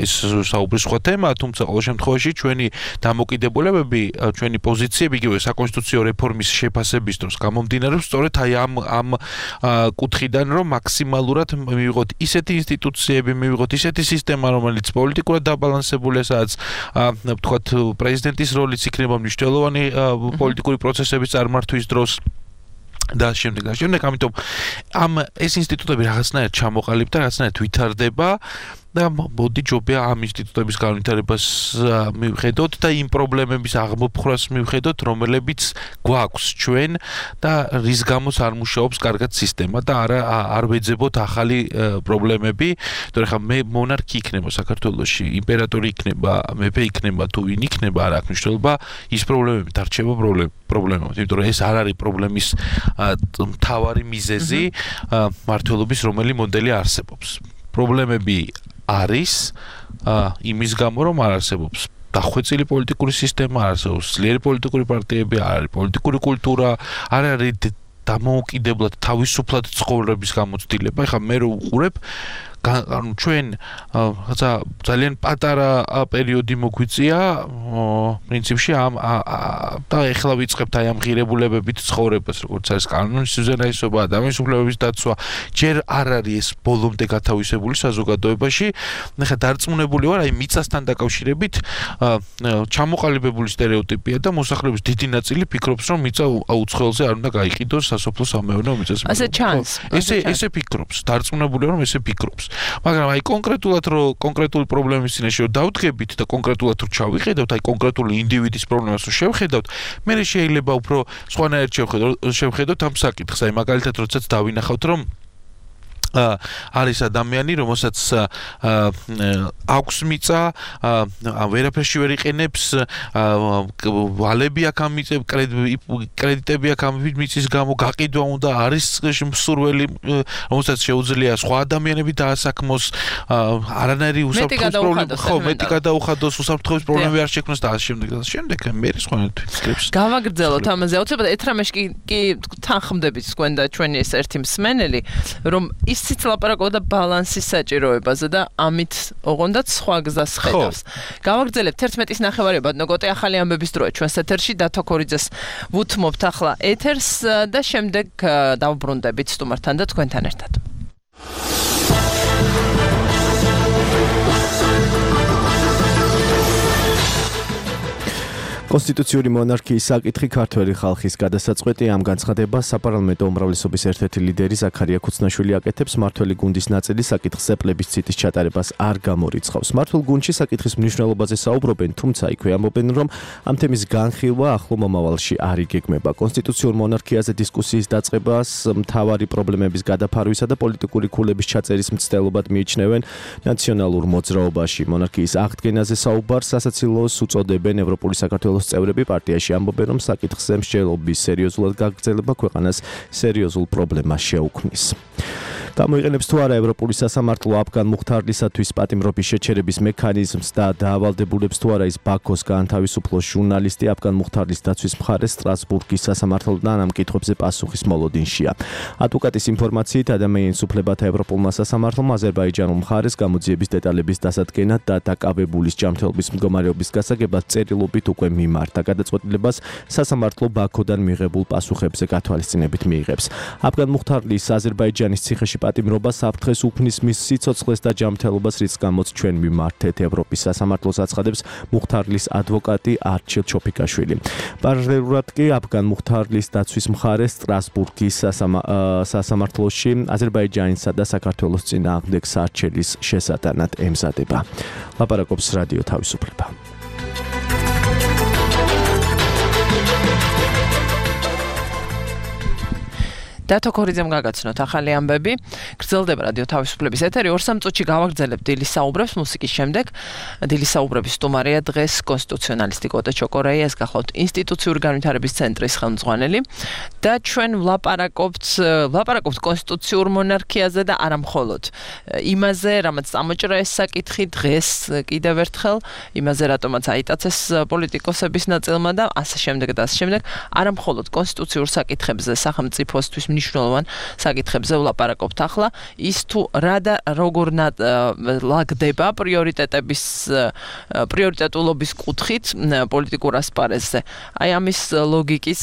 ეს საუბრის სხვა თემა, თუმცა ყოველ შემთხვევაში ჩვენი დამოკიდებულებები, ჩვენი პოზიციები, იგივე საკონსტიტუციო რეფორმის შეფასება ების დროს გამომდინარეობს სწორედ აი ამ ამ კუთხიდან რომ მაქსიმალურად მივიღოთ ისეთი ინსტიტუციები, მივიღოთ ისეთი სისტემა, რომელიც პოლიტიკურად დაბალანსებულია, სადაც ვთქვათ პრეზიდენტის როლიც იქნება მნიშვნელოვანი პოლიტიკური პროცესების წარმართვის დროს და შემდეგ და შემდეგ, ამიტომ ამ ეს ინსტიტუტები რაღაცნაირად ჩამოყალიბდა, რაღაცნაირად ვითარდება და მოდი ჯობია ამ ინსტიტუტების განვითარებას მივხედოთ და იმ პრობლემების აღმოფხვრას მივხედოთ, რომლებიც გვაქვს ჩვენ და რის გამოც არ მუშაობს კარგად სისტემა და არა არ ვეძებოთ ახალი პრობლემები. თორე ხა მე მონარქი იქნება საქართველოში, იმპერატორი იქნება, მეფე იქნება თუ ვინ იქნება, არ აქვს მნიშვნელობა, ის პრობლემები დარჩება პრობლემები. იმიტომ რომ ეს არ არის პრობლემის მთავარი მიზეზი მმართველობის რომელი მოდელი არსებობს. პრობლემები არის იმის გამო რომ არ არსებობს დახვეწილი პოლიტიკური სისტემა, არ არსებობს ძლიერი პოლიტიკური პარტიები, არ არის პოლიტიკური კულტურა, არ არის დამოუკიდებლად თავისუფლად ცხოვრების გამოცდილება. ეხლა მე რო უყურებ ანუ ჩვენ რაღაცა ძალიან პატარა პერიოდი მოგვიწია პრინციპში ამ და ეხლა ვიწყებთ აი ამ ღირებულებებით ცხოვრებას, როგორც არის კანონის უზენაესობა, ადამიანის უფლებების დაცვა, ჯერ არ არის ეს ბოლომდე გათავისებული საზოგადოებაში. ეხლა დარწმუნებული ვარ, აი მიწასთან დაკავშირებით ჩამოყალიბებული სტერეოტიპია და მოსახლეობის დიდი ნაწილი ფიქრობს, რომ მიწა აუცხოელზე არ უნდა გაიყიდოს სასოფლო-სამეურნეო მიწას. ასე ჩანს. ესე ესე ფიქრობს, დარწმუნებული ვარ, რომ ესე ფიქრობს. მაგრამ აი კონკრეტულად რომ კონკრეტული პრობლემის წინაშე რომ დავდგებით და კონკრეტულად რომ ჩავიხედავთ, აი კონკრეტული ინდივიდის პრობლემას რომ შევხედავთ, მე შეიძლება უფრო სხვანაირად შევხედავთ ამ საკითხს. აი მაგალითად, როდესაც დავინახავთ, რომ არის ადამიანი, რომელსაც აქვს მიწა, ვერაფერში ვერ იყენებს, ვალები აქ ამიწევ, კრედიტები აქ მიწის გამო გაყიდვა უნდა, არის მსურველი, რომელსაც შეუძლია სხვა ადამიანები დაასაქმოს, არანაირი უსაფრთხოების პრობლემა, ხო, მეტი გადაუხადოს, უსაფრთხოების პრობლემები არ შექმნას და ასე შემდეგ და ასე შემდეგ. მე სხვანაირად ვფიქრებს. გავაგრძელოთ ამაზე. აუცილებლად ეთრამეში კი თანხმდებით თქვენ და ჩვენი ეს ერთი მსმენელი, რომ ისიც ლაპარაკობდა ბალანსის საჭიროებაზე და ამით ოღონდ სხვა გზას ხედავს. გავაგრძელებთ ერთმეტის ნახევარი ბატონო ახალი ამბების დროა ჩვენს ეთერში დათო ქორიძეს ვუთმობთ ახლა ეთერს და შემდეგ დავბრუნდებით სტუმართან და თქვენთან ერთად. კონსტიტუციური მონარქიის საკითხი ქართველი ხალხის გადასაწყვეტი ამ განცხადებას საპარლამენტო უმრავლესობის ერთ-ერთი ლიდერი ზაქარია ქუცნაშვილი აკეთებს. მმართველი გუნდის ნაწილი საკითხზე პლებისციტის ჩატარებას არ გამორიცხავს. მმართველ გუნდში საკითხის მნიშვნელობაზე საუბრობენ, თუმცა იქვე ამბობენ, რომ ამ თემის განხილვა ახლო მომავალში არ იგეგმება. კონსტიტუციურ მონარქიაზე დისკუსიის დაწყებას მთავარი პრობლემების გადაფარვისა და პოლიტიკური ქულების ჩაწერის მცდელობად მიიჩნევენ ნაციონალურ მოძრაობაში. მონარქიის აღდგენაზე საუბარს სასაცილოს უწოდებენ ევროპული საქართველოს წევრები. პარტიაში ამბობენ, რომ საკითხზე მსჯელობის სერიოზულად გაგრძელება ქვეყანას სერიოზულ პრობლემას შეუქმნის. გამოიყენებს თუ არა ევროპული სასამართლო აფგან მუხთარლისათვის პატიმრობის შეჩერების მექანიზმს და დაავალდებულებს თუ არა ის ბაქოს გაანთავისუფლოს ჟურნალისტი აფგან მუხთარლის დაცვის მხარეს სტრასბურგის სასამართლოდან ამ კითხვებზე პასუხის მოლოდინშია. ადვოკატის ინფორმაციით ადამიანის უფლებათა ევროპულმა სასამართლომ აზერბაიჯანულ მხარეს გამოძიების დეტალების დასადგენად და დაკავებულის ჯანმრთელობის მდგომარეობის გასაგებად წერილობით უკვე მიმართა. გადაწყვეტილებას სასამართლო ბაქოდან მიღებულ პასუხებზე გათვალისწინებით მიიღებს. აფგან მუხთარლის აზერბაიჯანის ციხეში პატიმრობა საფრთხეს უქმნის მის სიცოცხლეს და ჯანმრთელობას, რის გამოც ჩვენ მიმართეთ ევროპის სასამართლოს აცხადებს მუხთარლის ადვოკატი არჩილ ჩოფიკაშვილი. პარალელურად კი აფგან მუხთარლის დაცვის მხარე სტრასბურგის სასამართლოში აზერბაიჯანისა და საქართველოს წინააღმდეგ სარჩელის შესატანად ემზადება. ლაპარაკობს რადიო თავისუფლება. დათო ქორიძემ გაგაცნოთ ახალი ამბები. გრძელდება რადიო თავისუფლების ეთერი. ორ სამ წუთში გავაგრძელებთ დილის საუბრებს მუსიკის შემდეგ. დილის საუბრების სტუმარია დღეს კონსტიტუციონალისტი კოტე ჩოკორაია, ეს გახლავთ ინსტიტუციური განვითარების ცენტრის ხელმძღვანელი და ჩვენ ვლაპარაკობთ ვლაპარაკობთ კონსტიტუციურ მონარქიაზე და არა მხოლოდ იმაზე, რამაც წამოჭრა ეს საკითხი დღეს კიდევ ერთხელ, იმაზე რატომაც აიტაცეს პოლიტიკოსების ნაწილმა და ასე შემდეგ და ასე შემდეგ, არა მხოლოდ კონსტიტუციურ საკითხებზე სახელმწიფოსთვის მნიშვნელოვან საკითხებზე ვლაპარაკობთ ახლა. ის თუ რა და როგორ ლაგდება პრიორიტეტების პრიორიტეტულობის კუთხით პოლიტიკურ ასპარეზზე. აი ამის ლოგიკის,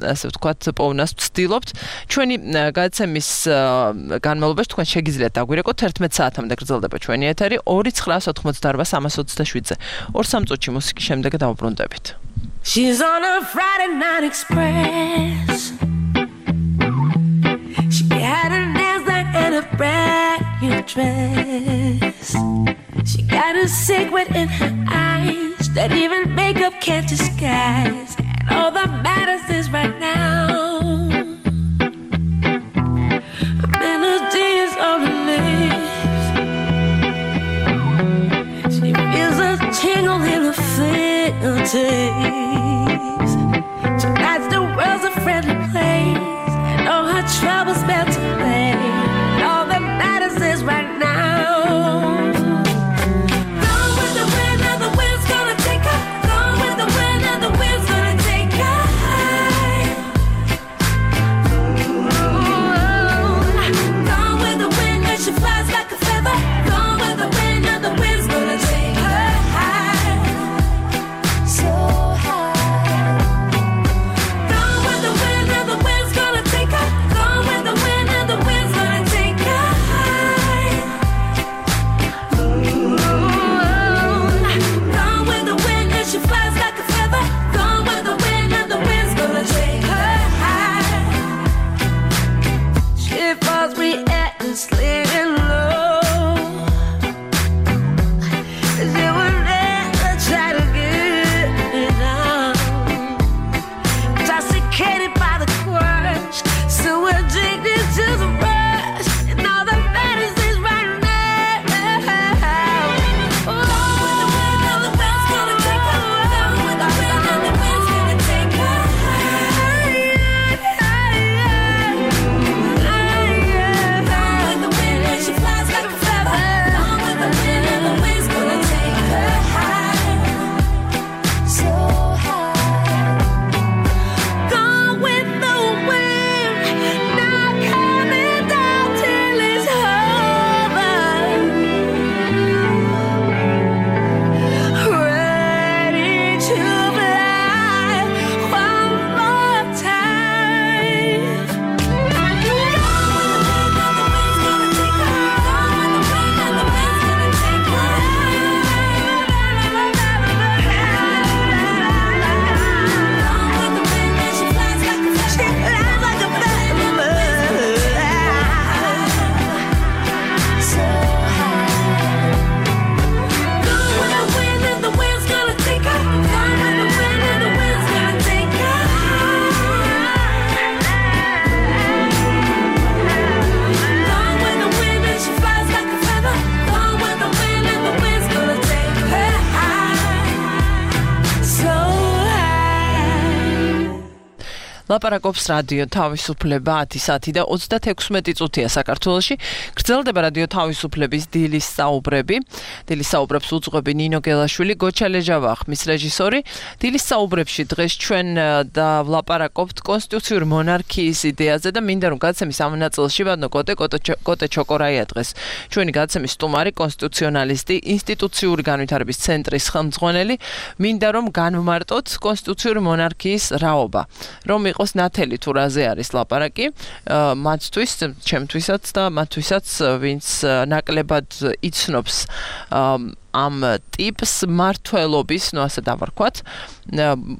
ასე ვთქვათ, პოვნას ვცდილობთ. ჩვენი გადაცემის განმავლობაში თქვენ შეგიძლიათ დაგვირეკოთ ერთმეტ საათამდე გრძელდება ჩვენი ეთერი ორი ცხრა ოთხმოცდაარბა სამას ოცდაშვიდზე. ორ სამ წუთში მუსიკის შემდეგ დავბრუნდებით. She's on a Friday night express. She had her nails done and a brand new dress. She got a secret in her eyes that even makeup can't disguise. And all that matters is right now. A melody is on her lips. She feels a tingle in her fingertips. Tonight's the world's a friendly place. All her troubles melt away. All that matters is right now. Gone with the wind, and the wind's gonna take her. Gone with the wind, and the wind's gonna take her high. Gone with the wind, and she flies like a feather. Gone with the wind, and the wind's gonna take her high. So high. ლაპარაკობს რადიო თავისუფლება ათი საათი და ოცდათექვსმეტი წუთია საქართველოში. გრძელდება რადიო თავისუფლების დილის საუბრები. დილის საუბრებს უძღვები ნინო გელაშვილი, გოჩა ლეჟავა ხმის რეჟისორი. დილის საუბრებში დღეს ჩვენ და ვლაპარაკობთ კონსტიტუციური მონარქიის იდეაზე და მინდა რომ გადაცემის ამ ნაწილში ვადნო კოტე კოტე ჩოკორაია დღეს ჩვენი გადაცემის სტუმარი, კონსტიტუციონალისტი, ინსტიტუციური განვითარების ცენტრის ხელმძღვანელი. მინდა რომ განვმარტოთ კონსტიტუციური მონარქიის რაობა. რომ იყოს ნათელი თუ რაზე არის ლაპარაკი, მათთვის, ჩემთვისაც და მათთვისაც, ვინც ნაკლებად იცნობს ამ ტიპს მართლობის, ნუ ასე დავარქვათ,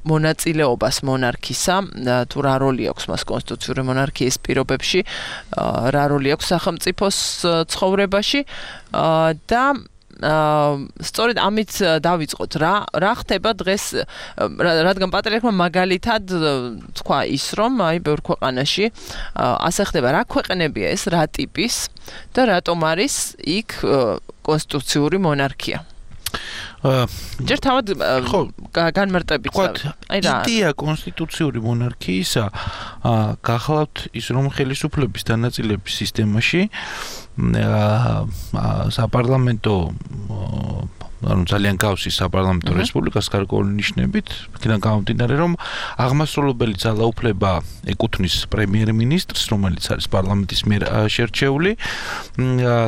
მონაწილეობას მონარქისა, თუ რა როლი აქვს მას კონსტიტუციური მონარქიის პირობებში, რა როლი აქვს სახელმწიფოს ცხოვრებაში და სწორედ ამით დავიწყოთ რა რა ხდება დღეს რადგან პატრიარქმა მაგალითად თქვა ის რომ აი ბევრ ქვეყანაში ასე ხდება რა ქვეყნებია ეს რა ტიპის და რატომ არის იქ კონსტიტუციური მონარქია ჯერ თავად განმარტებით აი რა იდეა კონსტიტუციური მონარქიისა გახლავთ ის რომ ხელისუფლების დანაწილების სისტემაში საპარლამენტო ანუ ძალიან გავსი საპარლამენტო რესპუბლიკას გარკვეული ნიშნებით, იქიდან გამომდინარე, რომ აღმასრულებელი ძალაუფლება ეკუთვნის პრემიერ-მინისტრს, რომელიც არის პარლამენტის მიერ შერჩეული,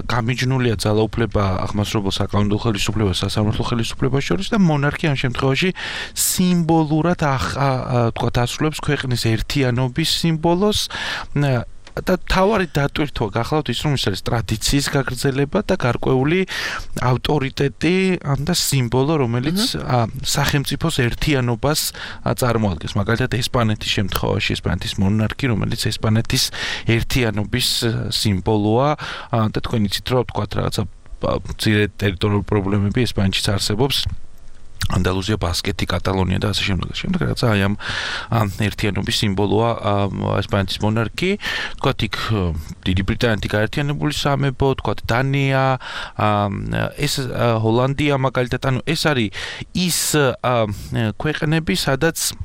გამიჯნულია ძალაუფლება აღმასრულებელ საკანონმდებლო ხელისუფლებას სასამართლო ხელისუფლებას შორის და მონარქია ამ შემთხვევაში სიმბოლურად თქვათ ასრულებს ქვეყნის ერთიანობის სიმბოლოს და თავარი დატვირთვა გახლავთ ის რომ ის არის ტრადიციის გაგრძელება და გარკვეული ავტორიტეტი და სიმბოლო რომელიც სახელმწიფოს ერთიანობას წარმოადგენს მაგალითად ესპანეთის შემთხვევაში ესპანეთის მონარქი რომელიც ესპანეთის ერთიანობის სიმბოლოა და თქვენ იცით რომ თქვათ რაღაცა ძირე ტერიტორიული პრობლემები ესპანეთშიც არსებობს ანდალუსია, ბასკეთი, კატალონია და ასე შემდეგ. შემდეგ რაც აი ამ ერთიანობის სიმბოლოა ესპანეთის მონარქი, თქვათ იქ დიდი ბრიტანეთი გაერთიანებული სამეფო, თქვათ დანია, ეს ჰოლანდია მაგალითად, ანუ ეს არის ის ქვეყნები, სადაც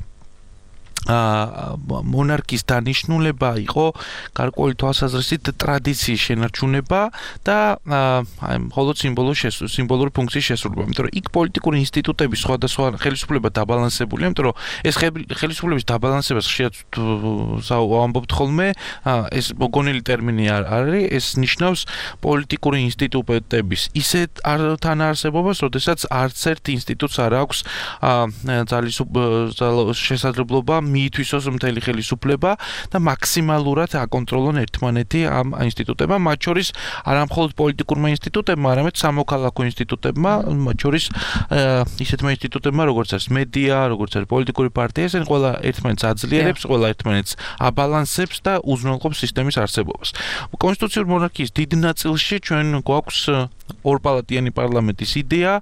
მონარქის დანიშნულება იყო გარკვეული თვალსაზრისით ტრადიციის შენარჩუნება და აი მხოლოდ სიმბოლოს სიმბოლური ფუნქციის შესრულება. იმიტომ რომ იქ პოლიტიკური ინსტიტუტები სხვადასხვა ხელისუფლება დაბალანსებულია, იმიტომ რომ ეს ხელისუფლების დაბალანსებას ხშირად ვამბობთ ხოლმე, ეს მოგონილი ტერმინი არ არის, ეს ნიშნავს პოლიტიკური ინსტიტუტების ისეთ თანაარსებობას, როდესაც არც ერთ ინსტიტუტს არ აქვს შესაძლებლობა მიითვისოს მთელი ხელისუფლება და მაქსიმალურად აკონტროლონ ერთმანეთი ამ ინსტიტუტებმა, მათ შორის არა მხოლოდ პოლიტიკურმა ინსტიტუტებმა, არამედ სამოქალაქო ინსტიტუტებმა, მათ შორის ისეთმა ინსტიტუტებმა, როგორც არის მედია, როგორც არის პოლიტიკური პარტია, ესენი ყველა ერთმანეთს აძლიერებს, ყველა ერთმანეთს აბალანსებს და უზრუნველყოფს სისტემის არსებობას. კონსტიტუციური მონარქიის დიდ ნაწილში ჩვენ გვაქვს ორპალატიანი პარლამენტის იდეა,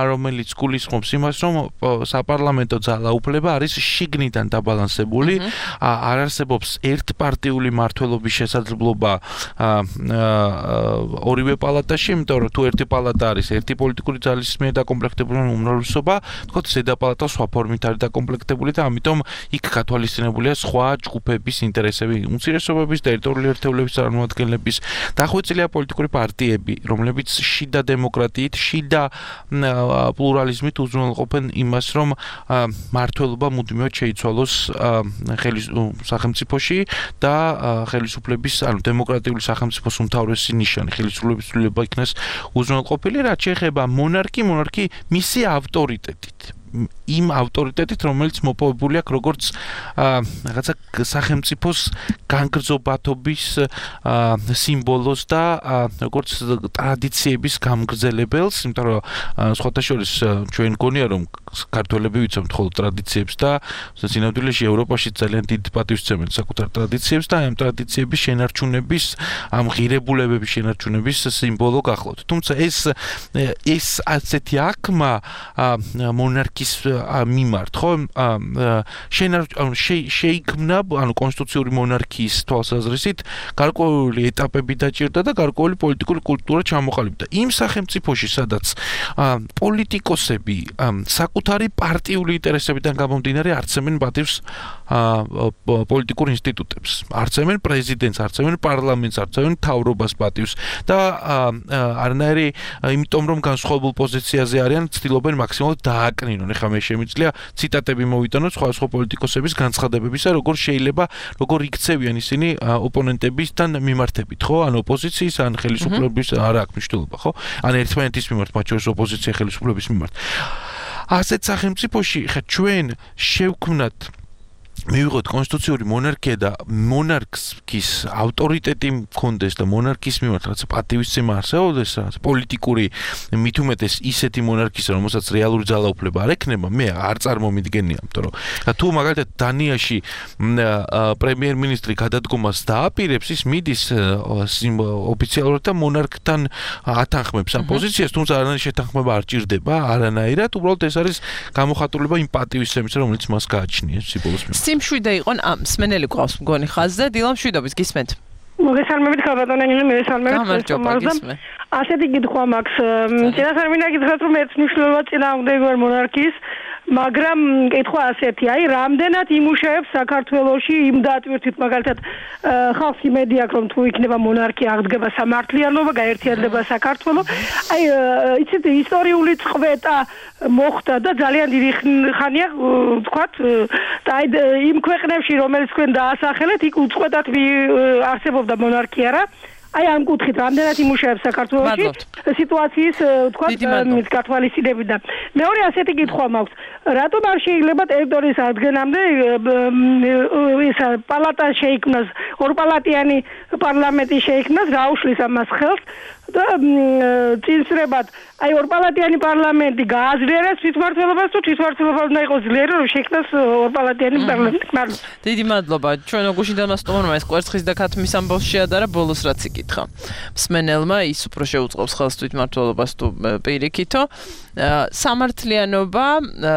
რომელიც გულისხმობს იმას, რომ საპარლამენტო ძალაუფლება არის შიგნიდან დაბალანსებული, არ არსებობს ერთპარტიული მმართველობის შესაძლებლობა ორივე პალატაში, იმიტომ რომ თუ ერთი პალატა არის ერთი პოლიტიკური ძალის მიერ დაკომპლექტებული უმრავლესობა, თქო ზედა პალატა სხვა ფორმით არის დაკომპლექტებული და ამიტომ იქ გათვალისწინებულია სხვა ჯგუფების ინტერესები, უმცირესობების, ტერიტორიული ერთეულების წარმომადგენლების, დახვეწილია პოლიტიკური პარტიები, რომლებიც შიდა დემოკრატიით, შიდა პლურალიზმით უზრუნველყოფენ იმას, რომ მმართველობა მუდმივად შეიცვალოს სახელმწიფოში და ხელისუფლების, ანუ დემოკრატიული სახელმწიფოს უმთავრესი ნიშანი ხელისუფლების ცვლილება იქნას უზრუნველყოფილი, რაც შეეხება მონარქი, მონარქი მისი ავტორიტეტით. იმ ავტორიტეტით, რომელიც მოპოვებული აქვს როგორც რაღაცა სახელმწიფოს განგრძობათობის სიმბოლოს და როგორც ტრადიციების გამგრძელებელს, იმიტომ რომ სხვათა შორის ჩვენ გონია რომ ქართველები ვიცავთ მხოლოდ ტრადიციებს და სინამდვილეში ევროპაში ძალიან დიდ პატივს სცემენ საკუთარ ტრადიციებს და ამ ტრადიციების შენარჩუნების, ამ ღირებულებების შენარჩუნების სიმბოლო გახლავთ. თუმცა ეს ეს ასეთი აქმა მონარქის მიმართ, ხო, შეიქმნა, ანუ კონსტიტუციური მონარქიის თვალსაზრისით გარკვეული ეტაპები დაჭირდა და გარკვეული პოლიტიკური კულტურა ჩამოყალიბდა. იმ სახელმწიფოში, სადაც პოლიტიკოსები საკუთარი პარტიული ინტერესებიდან გამომდინარე არცემენ პატივს პოლიტიკურ ინსტიტუტებს. არცემენ პრეზიდენტს, არცემენ პარლამენტს, არცემენ მთავრობას პატივს და არანაირი იმიტომ რომ განსხვავებულ პოზიციაზე არიან, ცდილობენ მაქსიმალურად დააკნინონ. ეხლა მე შემიძლია ციტატები მოვიტანოთ სხვადასხვა პოლიტიკოსების განცხადებებისა, როგორ შეიძლება, როგორ იქცევიან ისინი ოპონენტებისთან მიმართებით, ხო? ან ოპოზიციის, ან ხელისუფლების არა აქვს მნიშვნელობა, ხო? ან ერთმანეთის მიმართ, მათ შორის ოპოზიცია ხელისუფლების მიმართ. ასეთ სახელმწიფოში ხა ჩვენ შევქმნათ მივიღოთ კონსტიტუციური მონარქია და მონარქის ავტორიტეტი მქონდეს და მონარქის მიმართ რაღაც პატივისცემა არსებობდეს, რაღაც პოლიტიკური მით უმეტეს ისეთი მონარქის, რომელსაც რეალური ძალაუფლება არ ექნება, მე არ წარმომიდგენია, იმიტომ რომ თუ მაგალითად დანიაში პრემიერ-მინისტრი გადადგომას დააპირებს, ის მიდის ოფიციალურად და მონარქთან ათანხმებს ამ პოზიციას, თუმცა არანაირი შეთანხმება არ ჭირდება, არანაირად, უბრალოდ ეს არის გამოხატულება იმ პატივისცემის, რომელიც მას გააჩნია სიბოლოს. სიმშვიდე იყო ამ მსმენელი გვყავს მგონი ხაზზე დილა მშვიდობის გისმენთ მოგესალმებით ხალბატონი მოგესალმებით გამარჯობა გისმე ასეთი კითხვა მაქვს წინასწარ მინდა გითხრათ რომ ეს მნიშვნელობა წინააღმდეგ ვარ მონარქიის მაგრამ კითხვა ასეთი აი რამდენად იმუშავებს საქართველოში იმ დატვირთვით მაგალითად ხალხს იმედი აქვს რომ თუ იქნება მონარქია აღდგება სამართლიანობა გაერთიანდება საქართველო აი იცით ისტორიული წყვეტა მოხდა და ძალიან დიდი ხანია ვთქვათ და აი იმ ქვეყნებში რომელიც თქვენ დაასახელეთ იქ უწყვეტად არსებობდა მონარქია რა აი ამ კუთხით რამდენად იმუშავებს საქართველოში სიტუაციის ვთქვათ გათვალისწინებით და მეორე ასეთი კითხვა მაქვს რატომ არ შეიძლება ტერიტორიის აღდგენამდე ეს პალატა შეიქმნას ორპალატიანი პარლამენტი შეიქმნას რა უშლის ამას ხელს და წინსრებად აი ორპალატიანი პარლამენტი გააძლიერებს თვითმმართველობას თუ თვითმმართველობა უნდა იყოს ძლიერი რომ შექმნას ორპალატიანი პარლამენტი. დიდი მადლობა ჩვენ გუშინდა მასტომორმა ეს კვერცხის და ქათმის ამბავს შეადარა ბოლოს რაც იკითხა. მსმენელმა ის უფრო შეუწყობს ხელს თვითმმართველობას თუ პირიქითო სამართლიანობა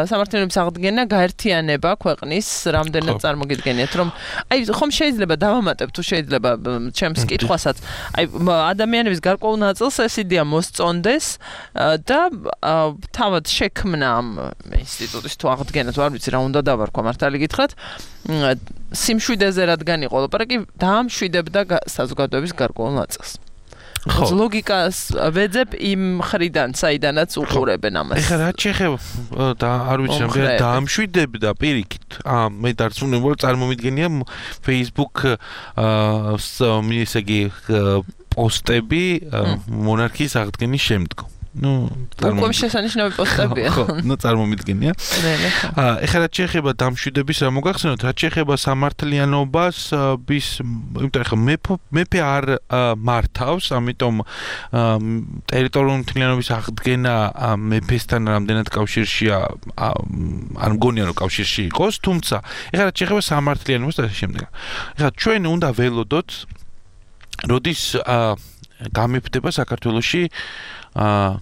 სამართლიანობის აღდგენა გაერთიანება ქვეყნის რამდენად წარმოგიდგენიათ რომ აი ხომ შეიძლება დავამატებ თუ შეიძლება ჩემს კითხვასაც აი ადამიანების გარკვეულ ნაწილს ეს იდეა მოსწონდეს და თავად შექმნა ამ ინსტიტუტის თუ აღდგენა თუ არ ვიცი რა უნდა დავარქვა მართალი გითხრათ სიმშვიდეზე რადგან იყო ლაპარაკი დაამშვიდებდა საზოგადოების გარკვეულ ნაწილს ხო ლოგიკას ვეძებ იმ ხრიდან საიდანაც უყურებენ ამას ეხლა რა შეიძლება და არ ვიცი რა დაამშვიდებდა პირიქით აა მე დარწმუნებული წარმომიდგენია Facebook აა ესე იგი პოსტები მონარქიის აღდგენის შემდგომ ну უკვე შესანიშნავი პოსტებია ხო ну წარმომიდგენია აა ეხლა რა შეიძლება დამშვიდების რა მოგახსენოთ რა შეიძლება სამართლიანობას bis იმიტომ ეხლა მეფე არ მართავს ამიტომ ტერიტორიული მთლიანობის აღდგენა მეფესთან რამდენად კავშირშია არ მგონია რომ კავშირში იყოს თუმცა ეხლა რა შეიძლება სამართლიანობას და შემდეგ ეხლა ჩვენ უნდა ველოდოთ როდის გამიფდება საქართველოში აა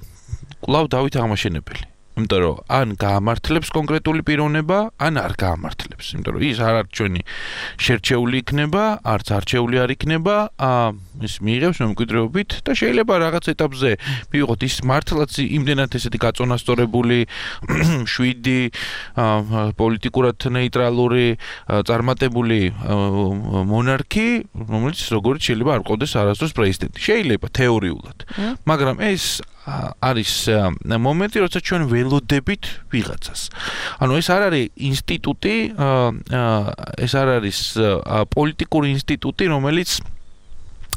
კვლავ დავით აღმაშენებელი. იმიტომ რომ ან გაამართლებს კონკრეტული პიროვნება, ან არ გაამართლებს. იმიტომ რომ ის არ არის ჩვენი შერჩეული იქნება, არც არჩეული არ იქნება, აა ის მიიღებს მემკვიდრეობით და შეიძლება რაღაც ეტაპზე მივიღოთ ის მართლაც იმდენად ესეთი გაწონასწორებული შვიდი პოლიტიკურად ნეიტრალური წარმატებული მონარქი, რომელიც როგორც შეიძლება არ ყოდეს არასდროს პრეზიდენტი. შეიძლება თეორიულად. მაგრამ ეს არის მომენტი, როცა ჩვენ ველოდებით ვიღაცას. ანუ ეს არ არის ინსტიტუტი, ეს არ არის პოლიტიკური ინსტიტუტი, რომელიც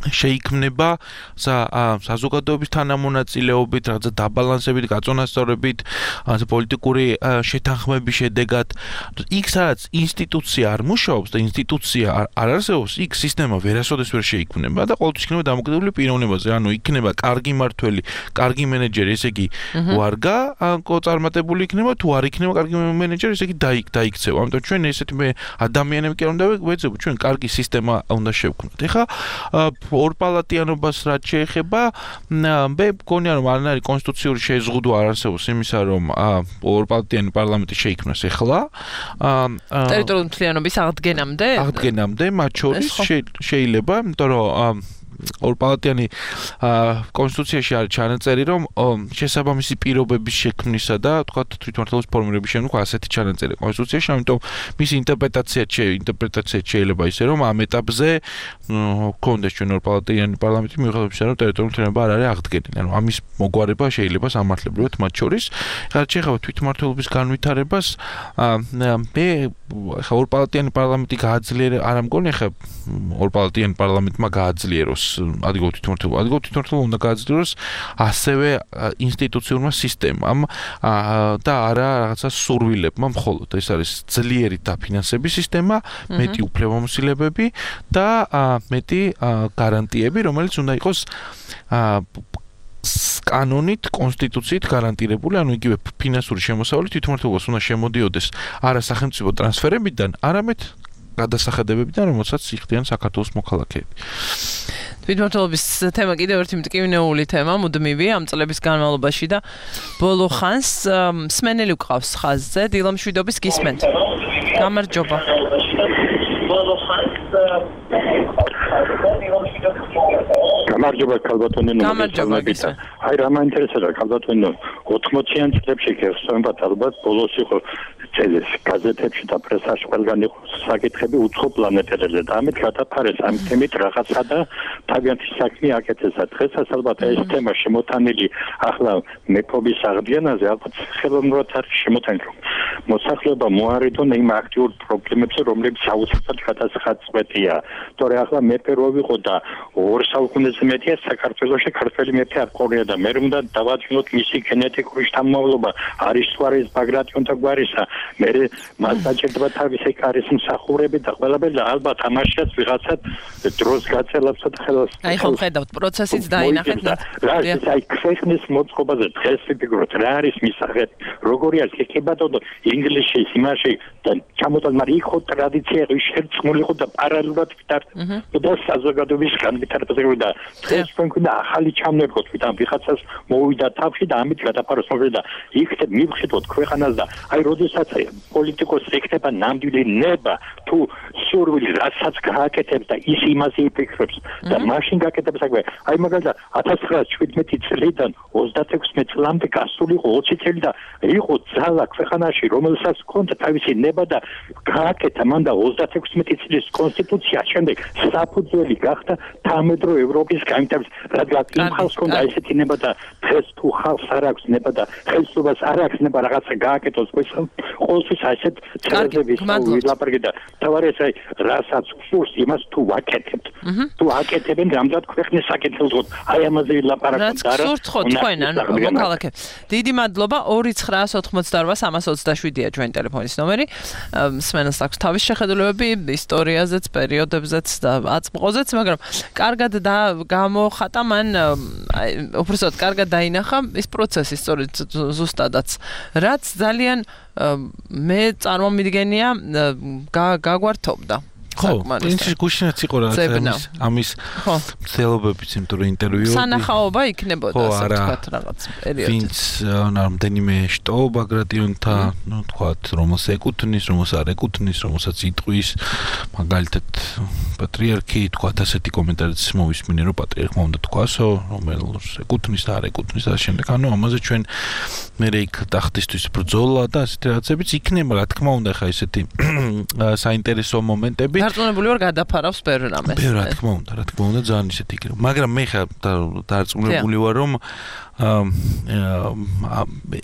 შეიქმნება საზოგადოების თანამონაწილეობით, რაღაცა დაბალანსებით, გაწონასწორებით, პოლიტიკური შეთანხმების შედეგად. იქ სადაც ინსტიტუცია არ მუშაობს და ინსტიტუცია არ არსებობს, იქ სისტემა ვერასოდეს ვერ შეიქმნება და ყოველთვის იქნება დამოკიდებული პიროვნებაზე. ანუ იქნება კარგი მმართველი, კარგი მენეჯერი, ესე იგი ვარგა წარმატებული იქნება, თუ არ იქნება კარგი მენეჯერი, ესე იგი დაიქცევა. ამიტომ ჩვენ ესეთი მე ადამიანები კი არ უნდა ვეძებოთ, ჩვენ კარგი სისტემა უნდა შევქმნათ. ეხლა ორპალატიანობას რაც შეეხება, მე მგონია რომ არანაირი კონსტიტუციური შეზღუდვა არ არსებობს იმისა, რომ ორპალატიანი პარლამენტი შეიქმნას ეხლა. ტერიტორიული მთლიანობის აღდგენამდე? აღდგენამდე, მათ შორის შეიძლება, იმიტომ რომ ორპალატიანი კონსტიტუციაში არის ჩანაწერი, რომ შესაბამისი პირობების შექმნისა და თქვა თვითმმართველობის ფორმირების შემდგომ ასეთი ჩანაწერი კონსტიტუციაში, ამიტომ მისი ინტერპრეტაცია ინტერპრეტაცია შეიძლება ისე რომ ამ ეტაპზე კონდეს ჩვენ ორპალატიანი პარლამენტი მიუხედავად იმისა, რომ ტერიტორიული თემა არ არის აღდგენილი. ანუ ამის მოგვარება შეიძლება სამართლებრივად მათ შორის. ხარ შეიძლება თვითმმართველობის განვითარებას მე ხა ორპალატიანი პარლამენტი გააძლიერე არა მგონი ხა ორპალატიანი პარლამენტმა გააძლიეროს ადგილობრივ თვითმმართველობა ადგილობრივ თვითმმართველობა უნდა გააძლიეროს ასევე ინსტიტუციურმა სისტემამ და არა რაღაცა სურვილებმა მხოლოდ ეს არის ძლიერი დაფინანსების სისტემა მეტი უფლებამოსილებები და მეტი გარანტიები რომელიც უნდა იყოს კანონით, კონსტიტუციით გარანტირებული, ანუ იგივე ფინანსური შემოსავალი თვითმმართველობას უნდა შემოდიოდეს არა სახელმწიფო ტრანსფერებიდან, არამედ გადასახადებებიდან, რომელსაც იხდიან საქართველოს მოქალაქეები. თვითმმართველობის თემა კიდევ ერთი მტკივნეული თემა, მუდმივი ამ წლების განმავლობაში და ბოლო ხანს მსმენელი გვყავს ხაზზე, დილა მშვიდობის გისმენთ. გამარჯობა. ბოლო ხანს გამარჯობა ქალბატონო. გამარჯობა. აი რა მაინტერესებდა ქალბატონო ოთხმოციან წლებში გეხსოვებათ ალბათ ბოლოს იყო წელს გაზეთებში და პრესაში ყველგან იყო საკითხები უცხო პლანეტებზე და ამით გადაფარეს ამ თემით რაღაცა და თავიანთი საქმე აკეთესა. დღესაც ალბათ ეს თემა შემოტანილი ახლა მეფობის აღდგენაზე ალბათ ხელოვნურად არის შემოტანილი. მოსახლეობა მოარიდონ იმ აქტიურ პრობლემებზე, რომლებიც აუცილებლად გადასახადწყვეტია. თორე ახლა მეფე რო ვიყო და ორ საუკუნეზე მეტია საქართველოში ქართველი მეფე არ ყოლია და მე უნდა დავაჩინოთ მისი გენეტიკური შთამომავლობა არის თუ არის ბაგრატიონ და გვარისა. მე მას დაჭერდება თავისი კარის მსახურები და ყველაფერი და ალბათ ამაშიაც ვიღაცა დროს გაწელავსა და ხელს აი ხომ ხედავთ პროცესიც დაინახეთ რა ის აი ქვეყნის მოწყობაზე დღეს ვიფიქროთ რა არის მისაღები როგორი არის ეკებადო ინგლისში იმაში და ჩამოთვალ მაგრამ იქ ხო ტრადიცია ის შერწყმული ხო და პარალელურად ვიტარდება და საზოგადოების განვითარებაზე და დღეს ჩვენ გვინდა ახალი ჩამნერგოთ ვიდან ვიღაცას მოვიდა თავში და ამით გადაფაროს მოგვიდა და იქ მივხედოთ ქვეყანას და აი როდესაც პოლიტიკოსი ეკნება ნამდვილი ნება თუ სურვილი რასაც გააკეთებს და ის იმაზე იფიქრებს და მაშინ გააკეთებს საქმე აი მაგალითად ათას ცხრაას შვიდმეტი წლიდან ოცდაექვსი წლამდე გასული იყო ოცი წელი და იყო ძალა ქვეყანაში რომელსაც ჰქონდა თავისი ნება და გააკეთა მან და ოცდაექვსი წლის კონსტიტუცია შემდეგ საფუძველი გახდა თანამედროვე ევროპის განვითარების რადგან იმ ხალხს ჰქონდა ესეთი ნება და დღეს თუ ხალხს არ აქვს ნება და ხელისუფლებას არ აქვს ნება რაღაცა გააკეთოს ყოველთვის ასეთ წერილების ვილაპარაკე და თავარეს აი რასაც სურს იმას თუ ვაკეთებთ თუ აკეთებენ რამდენად ქვეყნის საკითხებზე აი ამაზე ვილაპარაკოთ და რა სურთ ხო თქვენ ანუ მოქალაქე დიდი მადლობა ორი ცხრაას ოცდაოთხმოცდაორვა სამას ოცდაშვიდია ჩვენ ტელეფონის ნომერი მსმენელს აქვს თავის შეხედულებები ისტორიაზეც პერიოდებზეც და აწმყოზეც მაგრამ კარგად და გამოხატა მან უბრალოდ კარგად დაინახა ის პროცესი სწორედ ზუსტადაც რაც ძალიან მე წარმომიდგენია გაგვართობდა ხო პრინციპში გუშინაც იყო რა ამის ამის ცელობებიც იმიტომ რომ ინტერვიუები სანახაობა იქნებოდა ასე ვთქვათ რაღაც პერიოდში ვინც რამდენიმე შტო ბაგრატიონთან ნუ თქვათ რომელს ეკუთვნის რომელს არ ეკუთვნის რომელსაც იტყვის მაგალითად პატრიარქი თქვათ ასეთი კომენტარიც მოვისმინე რომ პატრიარქმა უნდა თქვასო რომელს ეკუთვნის და არ ეკუთვნის და შემდეგ ანუ ამაზე ჩვენ მე იქ ტახტისთვის ბრძოლა და ასეთი რაღაცებიც იქნება რა თქმა უნდა ხა ესეთი საინტერესო მომენტები დარწმუნებული ვარ გადაფარავს ბევრ რამეს. ბევრ რა თქმა უნდა, რა თქმა უნდა ძალიან ისეთი იქნება. მაგრამ მე ხა დარწმუნებული ვარ რომ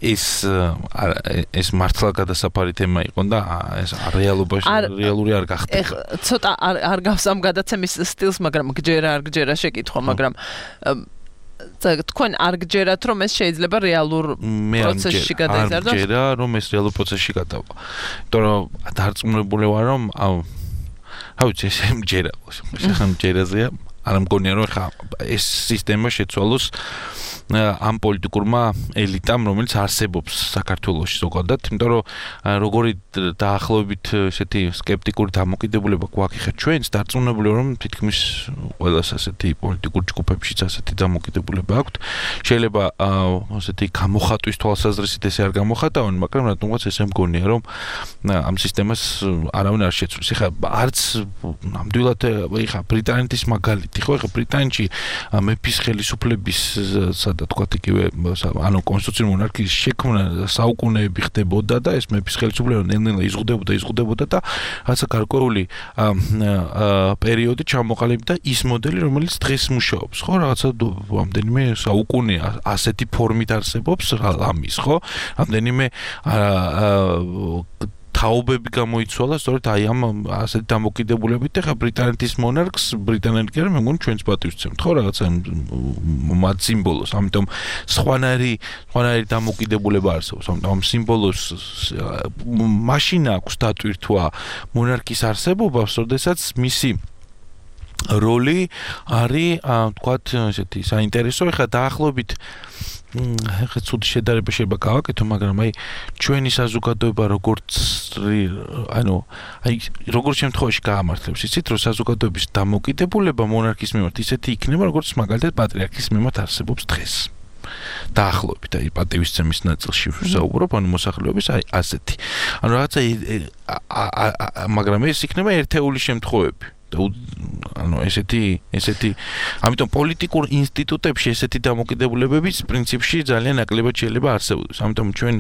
ეს ეს მართლა გადასაფარი თემა იყო და ეს რეალობაში რეალური არ გახდა. ეხლა ცოტა არ არ გავს ამ გადაცემის სტილს, მაგრამ გჯერა არ გჯერა შეკითხვა, მაგრამ თქვენ არ გჯერათ რომ ეს შეიძლება რეალურ პროცესში გადაიზარდოს? არ გჯერა რომ ეს რეალურ პროცესში გადავა. იმიტომ რომ დარწმუნებული ვარ რომ რა ვიცი ეს მჯერა ხან მჯერაზეა არ მგონია რომ ხა ეს სისტემა შეცვალოს ამ პოლიტიკურმა ელიტამ, რომელიც არსებობს საქართველოში ზოგადად, იმიტომ რომ როგორი დაახლოებით ესეთი სკეპტიკური დამოკიდებულება გვაქვს ხა ჩვენს დარწმუნებული რომ თითქმის ყველას ასეთი პოლიტიკურ ჯგუფებშიც ასეთი დამოკიდებულება აქვთ. შეიძლება ასეთი გამოხატვის თვალსაზრისით ესე არ გამოხატავენ, მაგრამ რატომღაც ესე მგონია რომ ამ სისტემას არავინ არ შეცვლის. ეხლა არც ნამდვილად ეხლა ბრიტანეთის მაგალითი ხო ეხლა ბრიტანეთში მეფის ხელისუფლების სადა თქვა იგივე ანუ კონსტიტუციური მონარქიის შექმნა საუკუნეები ხდებოდა და ეს მეფის ხელისუფლება ნელ-ნელა იზღუდებოდა იზღუდებოდა და რაცა გარკვეული პერიოდი ჩამოყალიბდა ის მოდელი რომელიც დღეს მუშაობს ხო რაღაცა რამდენიმე საუკუნე ასეთი ფორმით არსებობს ამის ხო რამდენიმე თაობები გამოიცვალა სწორედ აი ამ ასეთი დამოკიდებულებით ეხა ბრიტანეთის მონარქს ბრიტანეთი მე მგონი ჩვენც პატივისცემთ ხო რაღაცა მათ სიმბოლოს ამიტომ სხვანაირი სხვანაირი დამოკიდებულება არსებობს ამიტომ ამ სიმბოლოს მაშინ აქვს დატვირთვა მონარქის არსებობას როდესაც მისი როლი არის თქვათ ესეთი საინტერესო ეხა დაახლოებით ეხლა ცუდი შედარება შეიძლება გავაკეთო, მაგრამ აი ჩვენი საზოგადოება როგორც ანუ აი როგორც შემთხვევაში გაამართლებს, იცით რომ საზოგადოების დამოკიდებულება მონარქის მიმართ ისეთი იქნება, როგორც მაგალითად პატრიარქის მიმართ არსებობს დღეს. დაახლოებით აი პატივისცემის ნაწილში ვსაუბრობ, ანუ მოსახლეობის აი ასეთი. ანუ რაღაცა მაგრამ ეს იქნება ერთეული შემთხვევები. ანუ ესეთი ესეთი ამიტომ პოლიტიკურ ინსტიტუტებში ესეთი დამოკიდებულებების პრინციპში ძალიან ნაკლებად შეიძლება არსებობდეს. ამიტომ ჩვენ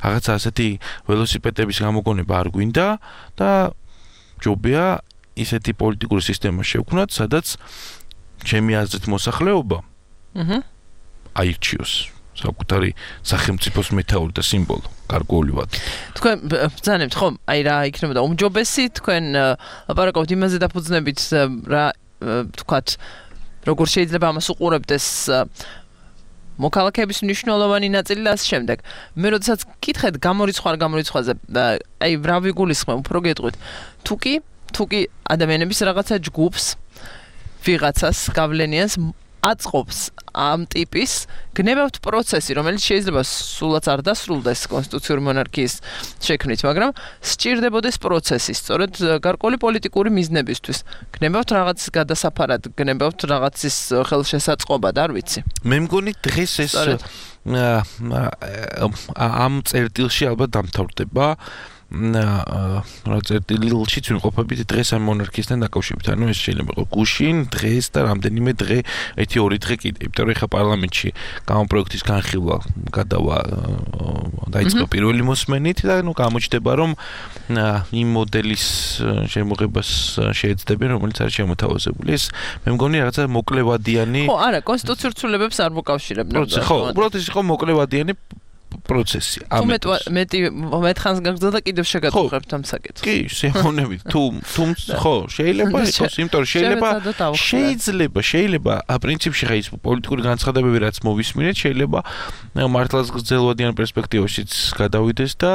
რაღაცა ასეთი ველოსიპედების გამოგონება არ გვინდა და ჯობია ისეთი პოლიტიკური სისტემა შევქმნათ, სადაც ჩემი აზრით მოსახლეობა აჰა აირჩიოს საკუთარი სახელმწიფოს მეთაური და სიმბოლო გარკვეული ვადით. თქვენ ბრძანებთ ხო? აი რა იქნებოდა უმჯობესი თქვენ ლაპარაკობთ იმაზე დაფუძნებით რა თქვათ როგორ შეიძლება ამას უყურებდეს მოქალაქეების მნიშვნელოვანი ნაწილი და ასე შემდეგ. მე როდესაც გითხეთ გამორიცხვა არ გამორიცხვაზე, აი რა ვიგულისხმებ, უფრო გეტყვით. თუ კი, თუ კი ადამიანების რაღაცა ჯგუფს ვიღაცას გავლენიანს აწყობს ამ ტიპის გნებავთ პროცესი, რომელიც შეიძლება სულაც არ დასრულდეს კონსტიტუციური მონარქიის შექმნით, მაგრამ სჭირდებოდეს პროცესი, სწორედ გარკვეული პოლიტიკური მიზნებისთვის. გნებავთ რაღაცის გადასაფარად, გნებავთ რაღაცის ხელშესაწყობად, არ ვიცი. მე მგონი დღეს ეს ამ წერტილში ალბათ დამთავრდება. რა წერტილშიც ვიმყოფებით დღეს ამ მონარქიასთან დაკავშირებით. ანუ ეს შეიძლება იყოს გუშინ, დღეს და რამდენიმე დღე, ერთი ორი დღე კიდე. იმიტომ რომ ეხა პარლამენტში გამოპროექტის განხილვა გადავა დაიწყო პირველი მოსმენით და ნუ გამოჩნდება რომ იმ მოდელის შემოღებას შეეცდებიან, რომელიც არის შემოთავაზებული. ეს მე მგონი რაღაცა მოკლევადიანი ხო, არა, კონსტიტუციურ ცვლილებებს არ მოკავშირებდა. ხო, უბრალოდ ეს იყო მოკლევადიანი პროცესი. ამეთ მეტი მეთხანს გაგრძელდა კიდევ შეგატყუებთ ამ საკითხს. კი, შემოვნებით. თუ თუ ხო, შეიძლება იყოს, იმიტომ რომ შეიძლება შეიძლება შეიძლება პრინციპში ხა ის პოლიტიკური განცხადებები რაც მოვისმინეთ, შეიძლება მართლაც გრძელვადიან პერსპექტივაშიც გადავიდეს და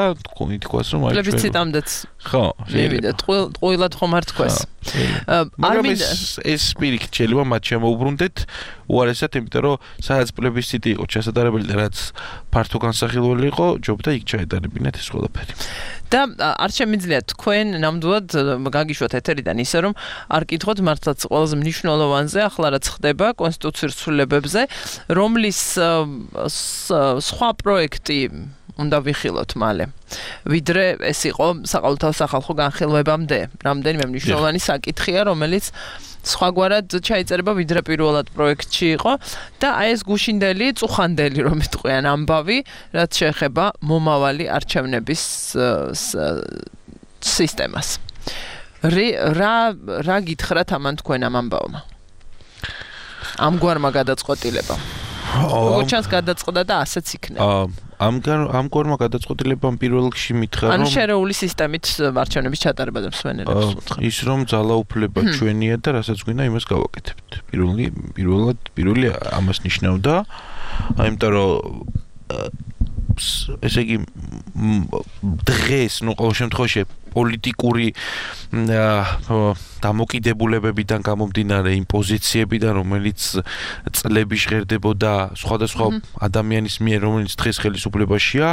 ითქვას რომ აი პლებისციტამდეც ხო, შეიძლება ტყუილად ხომ არ თქვას. არ მინდა ეს პირიქით შეიძლება მათ შემოუბრუნდეთ უარესად, იმიტომ რომ სადაც პლებისციტი იყო ჩასადარებელი და რაც ფართო განსახილველი იყო, ჯობდა იქ ჩაეტარებინათ ეს ყველაფერი. და არ შემიძლია თქვენ ნამდვილად გაგიშვათ ეთერიდან ისე რომ არ კითხოთ მართლაც ყველაზე მნიშვნელოვანზე, ახლა რაც ხდება კონსტიტუციურ ცვლილებებზე, რომლის სხვა პროექტი უნდა ვიხილოთ მალე. ვიდრე ეს იყო საყოველთაო სახალხო განხილვებამდე, რამდენიმე მნიშვნელოვანი საკითხია, რომელიც სხვაგვარად ჩაიწერება ვიდრე პირველად პროექტში იყო და აი ეს გუშინდელი, წუხანდელი რომ იტყვიან ამბავი, რაც შეეხება მომავალი არჩევნების სისტემას. რა რა გითხრათ ამან თქვენ ამ ამბავმა? ამგვარმა გადაწყვეტილებამ. როგორც ჩანს გადაწყდა და ასეც იქნება. ამ ამგვარმა გადაწყვეტილებამ პირველ რიგში მითხრა რომ ანუ შერეული სისტემით არჩევნების ჩატარება და მსვენელებს. ის რომ ძალაუფლება ჩვენია და რასაც გვინდა იმას გავაკეთებთ. პირველი პირველად პირველი ამას ნიშნავდა, აიმიტომ რომ ესე იგი დღეს, ну, ყოველ შემთხვევაში პოლიტიკური დამოკიდებულებებიდან გამომდინარე იმ პოზიციებიდან, რომელიც წლები ჟღერდებოდა სხვადასხვა ადამიანის მიერ, რომელიც დღეს ხელისუფლებაშია,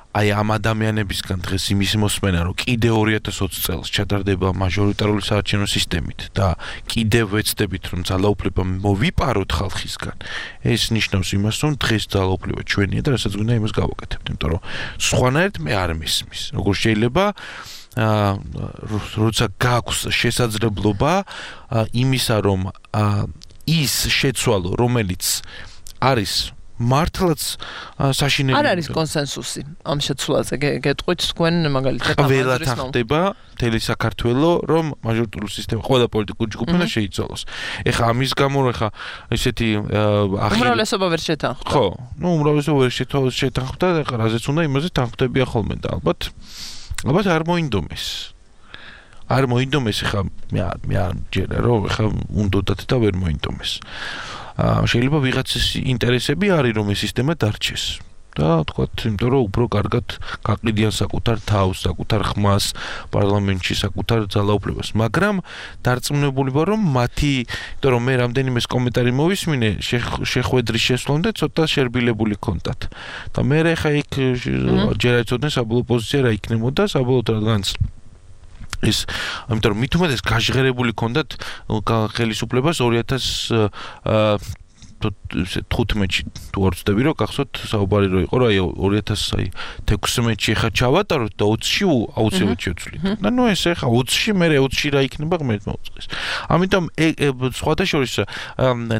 აი ამ ადამიანებისგან დღეს იმის მოსმენა, რომ კიდე ორი ათას ოცი წელს ჩატარდება მაჟორიტარული საარჩევნო სისტემით და კიდევ ვეცდებით, რომ ძალაუფლება მოვიპაროთ ხალხისგან. ეს ნიშნავს იმას, რომ დღეს ძალაუფლება ჩვენია და რასაც გვინდა იმას გავაკეთებთ, იმიტომ რომ სხვანაირად მე არ მისმის. როგორ შეიძლება აა როცა გაქვს შესაძლებლობა იმისა, რომ ის შეცვალო, რომელიც არის მართლაც საშინელი არ არის კონსენსუსი ამ შეცვლაზე გეტყვით თქვენ მაგალითად ყველათ ახდება მთელი საქართველო რომ მაჟორიტარული სისტემა ყველა პოლიტიკური ჯგუფი უნდა შეიცვალოს. ეხლა ამის გამო ეხლა ესეთი უმრავლესობა ვერ შეთანხმდა. ხო, ნუ უმრავლესობა ვერ შეთანხმდა, ეხლა რაზეც უნდა იმაზე თანხმდებია ხოლმე და ალბათ ალბათ არ მოინდომეს. არ მოინდომეს ეხლა მე მე არ ჯერა რომ ეხლა უნდათ და ვერ მოინდომეს. შეიძლება ვიღაცის ინტერესები არის რომ ეს სისტემა დარჩეს და თქვათ, იმიტომ რომ უფრო კარგად გაყიდიან საკუთარ თავს, საკუთარ ხმას პარლამენტში, საკუთარ ძალაუფლებას, მაგრამ დარწმუნებული ვარ რომ მათი, იმიტომ რომ მე რამდენიმე კომენტარი მოვისმინე შეხვედრის შესვლამდე ცოტა შერბილებული კონტაქტ და მე ხა იქ ჯერ აიცოდნენ საბოლოო პოზიცია რა იქნებოდა საბოლოოდ რადგანაც ის ამიტომ მით უმეტეს გაჟღერებული ქონდათ ხელისუფლებას ორი ათას თხუთმეტში თუ არ ვცდები რომ გახსოვთ საუბარი რო იყო რა აი ორი ათას თექვსმეტში ხა ჩავატაროთ და ოცში აუცილებლად შევცვლით. და ნუ ეს ხა ოცში მე ოცში რა იქნება ღმერთ მოუწყეს. ამიტომ სხვათა შორის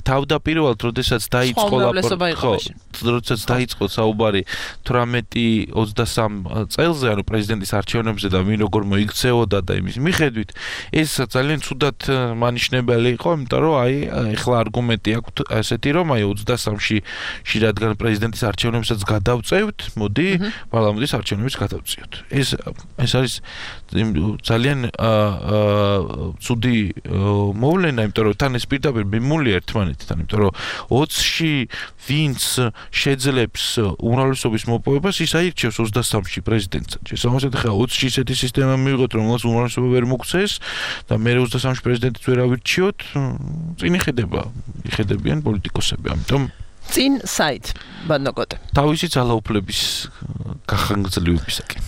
თავდაპირველად როდესაც დაიწყო ხო, როდესაც დაიწყო საუბარი თვრამეტი ოცდასამ წელზე ანუ პრეზიდენტის არჩევნებზე და ვინ როგორ მოიქცეოდა და იმის მიხედვით ეს ძალიან ცუდად მანიშნებელი იყო, იმიტომ რომ აი ეხლა არგუმენტი აქვს ასეთი რომ აი ოცდასამში ში რადგან პრეზიდენტის არჩევნებსაც გადავწევთ, მოდი პარლამენტის არჩევნებს გადავწიოთ. ეს ეს არის ძალიან ცუდი მოვლენა, იმიტომ რომ თან ეს პირდაპირ მიმულია ერთმანეთთან, იმიტომ რომ ოცში ვინც შეძლებს უმრავლესობის მოპოვებას, ის აირჩევს ოცდასამში პრეზიდენტად. შესაბამისად ხა ოცში ისეთი სისტემა მივიღოთ, რომელსაც უმრავლესობა ვერ მოგცეს და მე ოცდასამში პრეზიდენტიც ვერ ავირჩიოთ, წინ იხედება, იხედებიან პოლიტიკოსები. ამიტომ წინ საით ბანაკოტე. თავისი ძალაუფლების გახანგრძლივებისაკენ.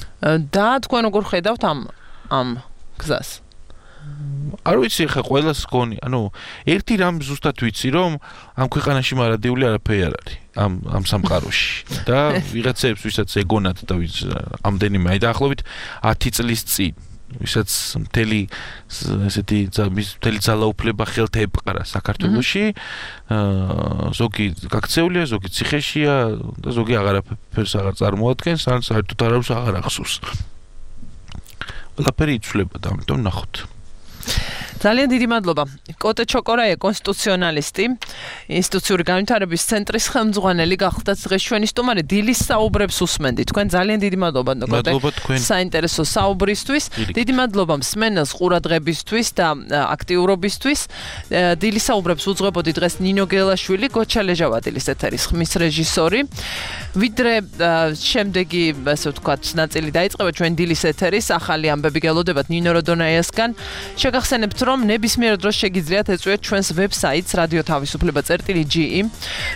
და თქვენ როგორ ხედავთ ამ ამ გზას? არ ვიცი ხა ყველას გონი, ანუ ერთი რამ ზუსტად ვიცი, რომ ამ ქვეყანაში მარადიული არაფერი არ არის ამ ამ სამყაროში და ვიღაცებს ვისაც ეგონათ და ვის ამდენიმე აი დაახლოებით ათი წლის წინ ვისაც მთელი ესეთი მთელი ძალაუფლება ხელთ ეპყრა საქართველოში, ზოგი გაქცეულია, ზოგი ციხეშია და ზოგი აღარაფერს აღარ წარმოადგენს, ან საერთოდ არავის აღარ ახსოვს. ყველაფერი იცვლება და ამიტომ ნახოთ. ძალიან დიდი მადლობა. კოტე ჩოკორაია, კონსტიტუციონალისტი, ინსტიტუციური განვითარების ცენტრის ხელმძღვანელი გახდათ დღეს ჩვენი სტუმარი. დილის საუბრებს უსმენდი. თქვენ ძალიან დიდი მადლობა კოტე. საინტერესო საუბრისთვის. დიდი მადლობა მსმენელს ყურადღებისთვის და აქტიურობისთვის. დილის საუბრებს უძღვებოდი დღეს ნინო გელაშვილი, გოჩა ლეჟავადილის ეთერის ხმის რეჟისორი. ვიდრე შემდეგი, ასე ვთქვათ, ნაწილი დაიწყება ჩვენ დილის ეთერის ახალი ამბები გელოდებათ ნინო როდონაიასგან. შეგახსენებთ რომ ნებისმიერ დროს შეგიძლიათ ეწვიოთ ჩვენს ვებსაიტს რადიო თავისუფლება წერტილი ჯი ი,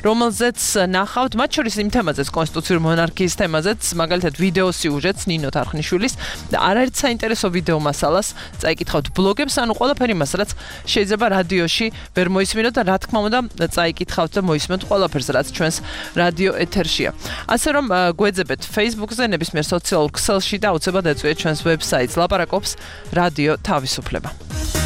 რომელზეც ნახავთ მათ შორის იმ თემაზეც, კონსტიტუციური მონარქიის თემაზეც, მაგალითად ვიდეო სიუჟეტს ნინო თარხნიშვილის და არაერთ საინტერესო ვიდეო მასალას წაიკითხავთ ბლოგებს, ანუ ყველაფერი იმას, რაც შეიძლება რადიოში ვერ მოისმინოთ და რა თქმა უნდა წაიკითხავთ და მოისმენთ ყველაფერს, რაც ჩვენს რადიო ეთერშია. ასე რომ გვეძებეთ Facebook-ზე, ნებისმიერ სოციალურ ქსელში და აუცილებლად ეწვიეთ ჩვენს ვებსაიტს. ლაპარაკობს რადიო თავისუფლება.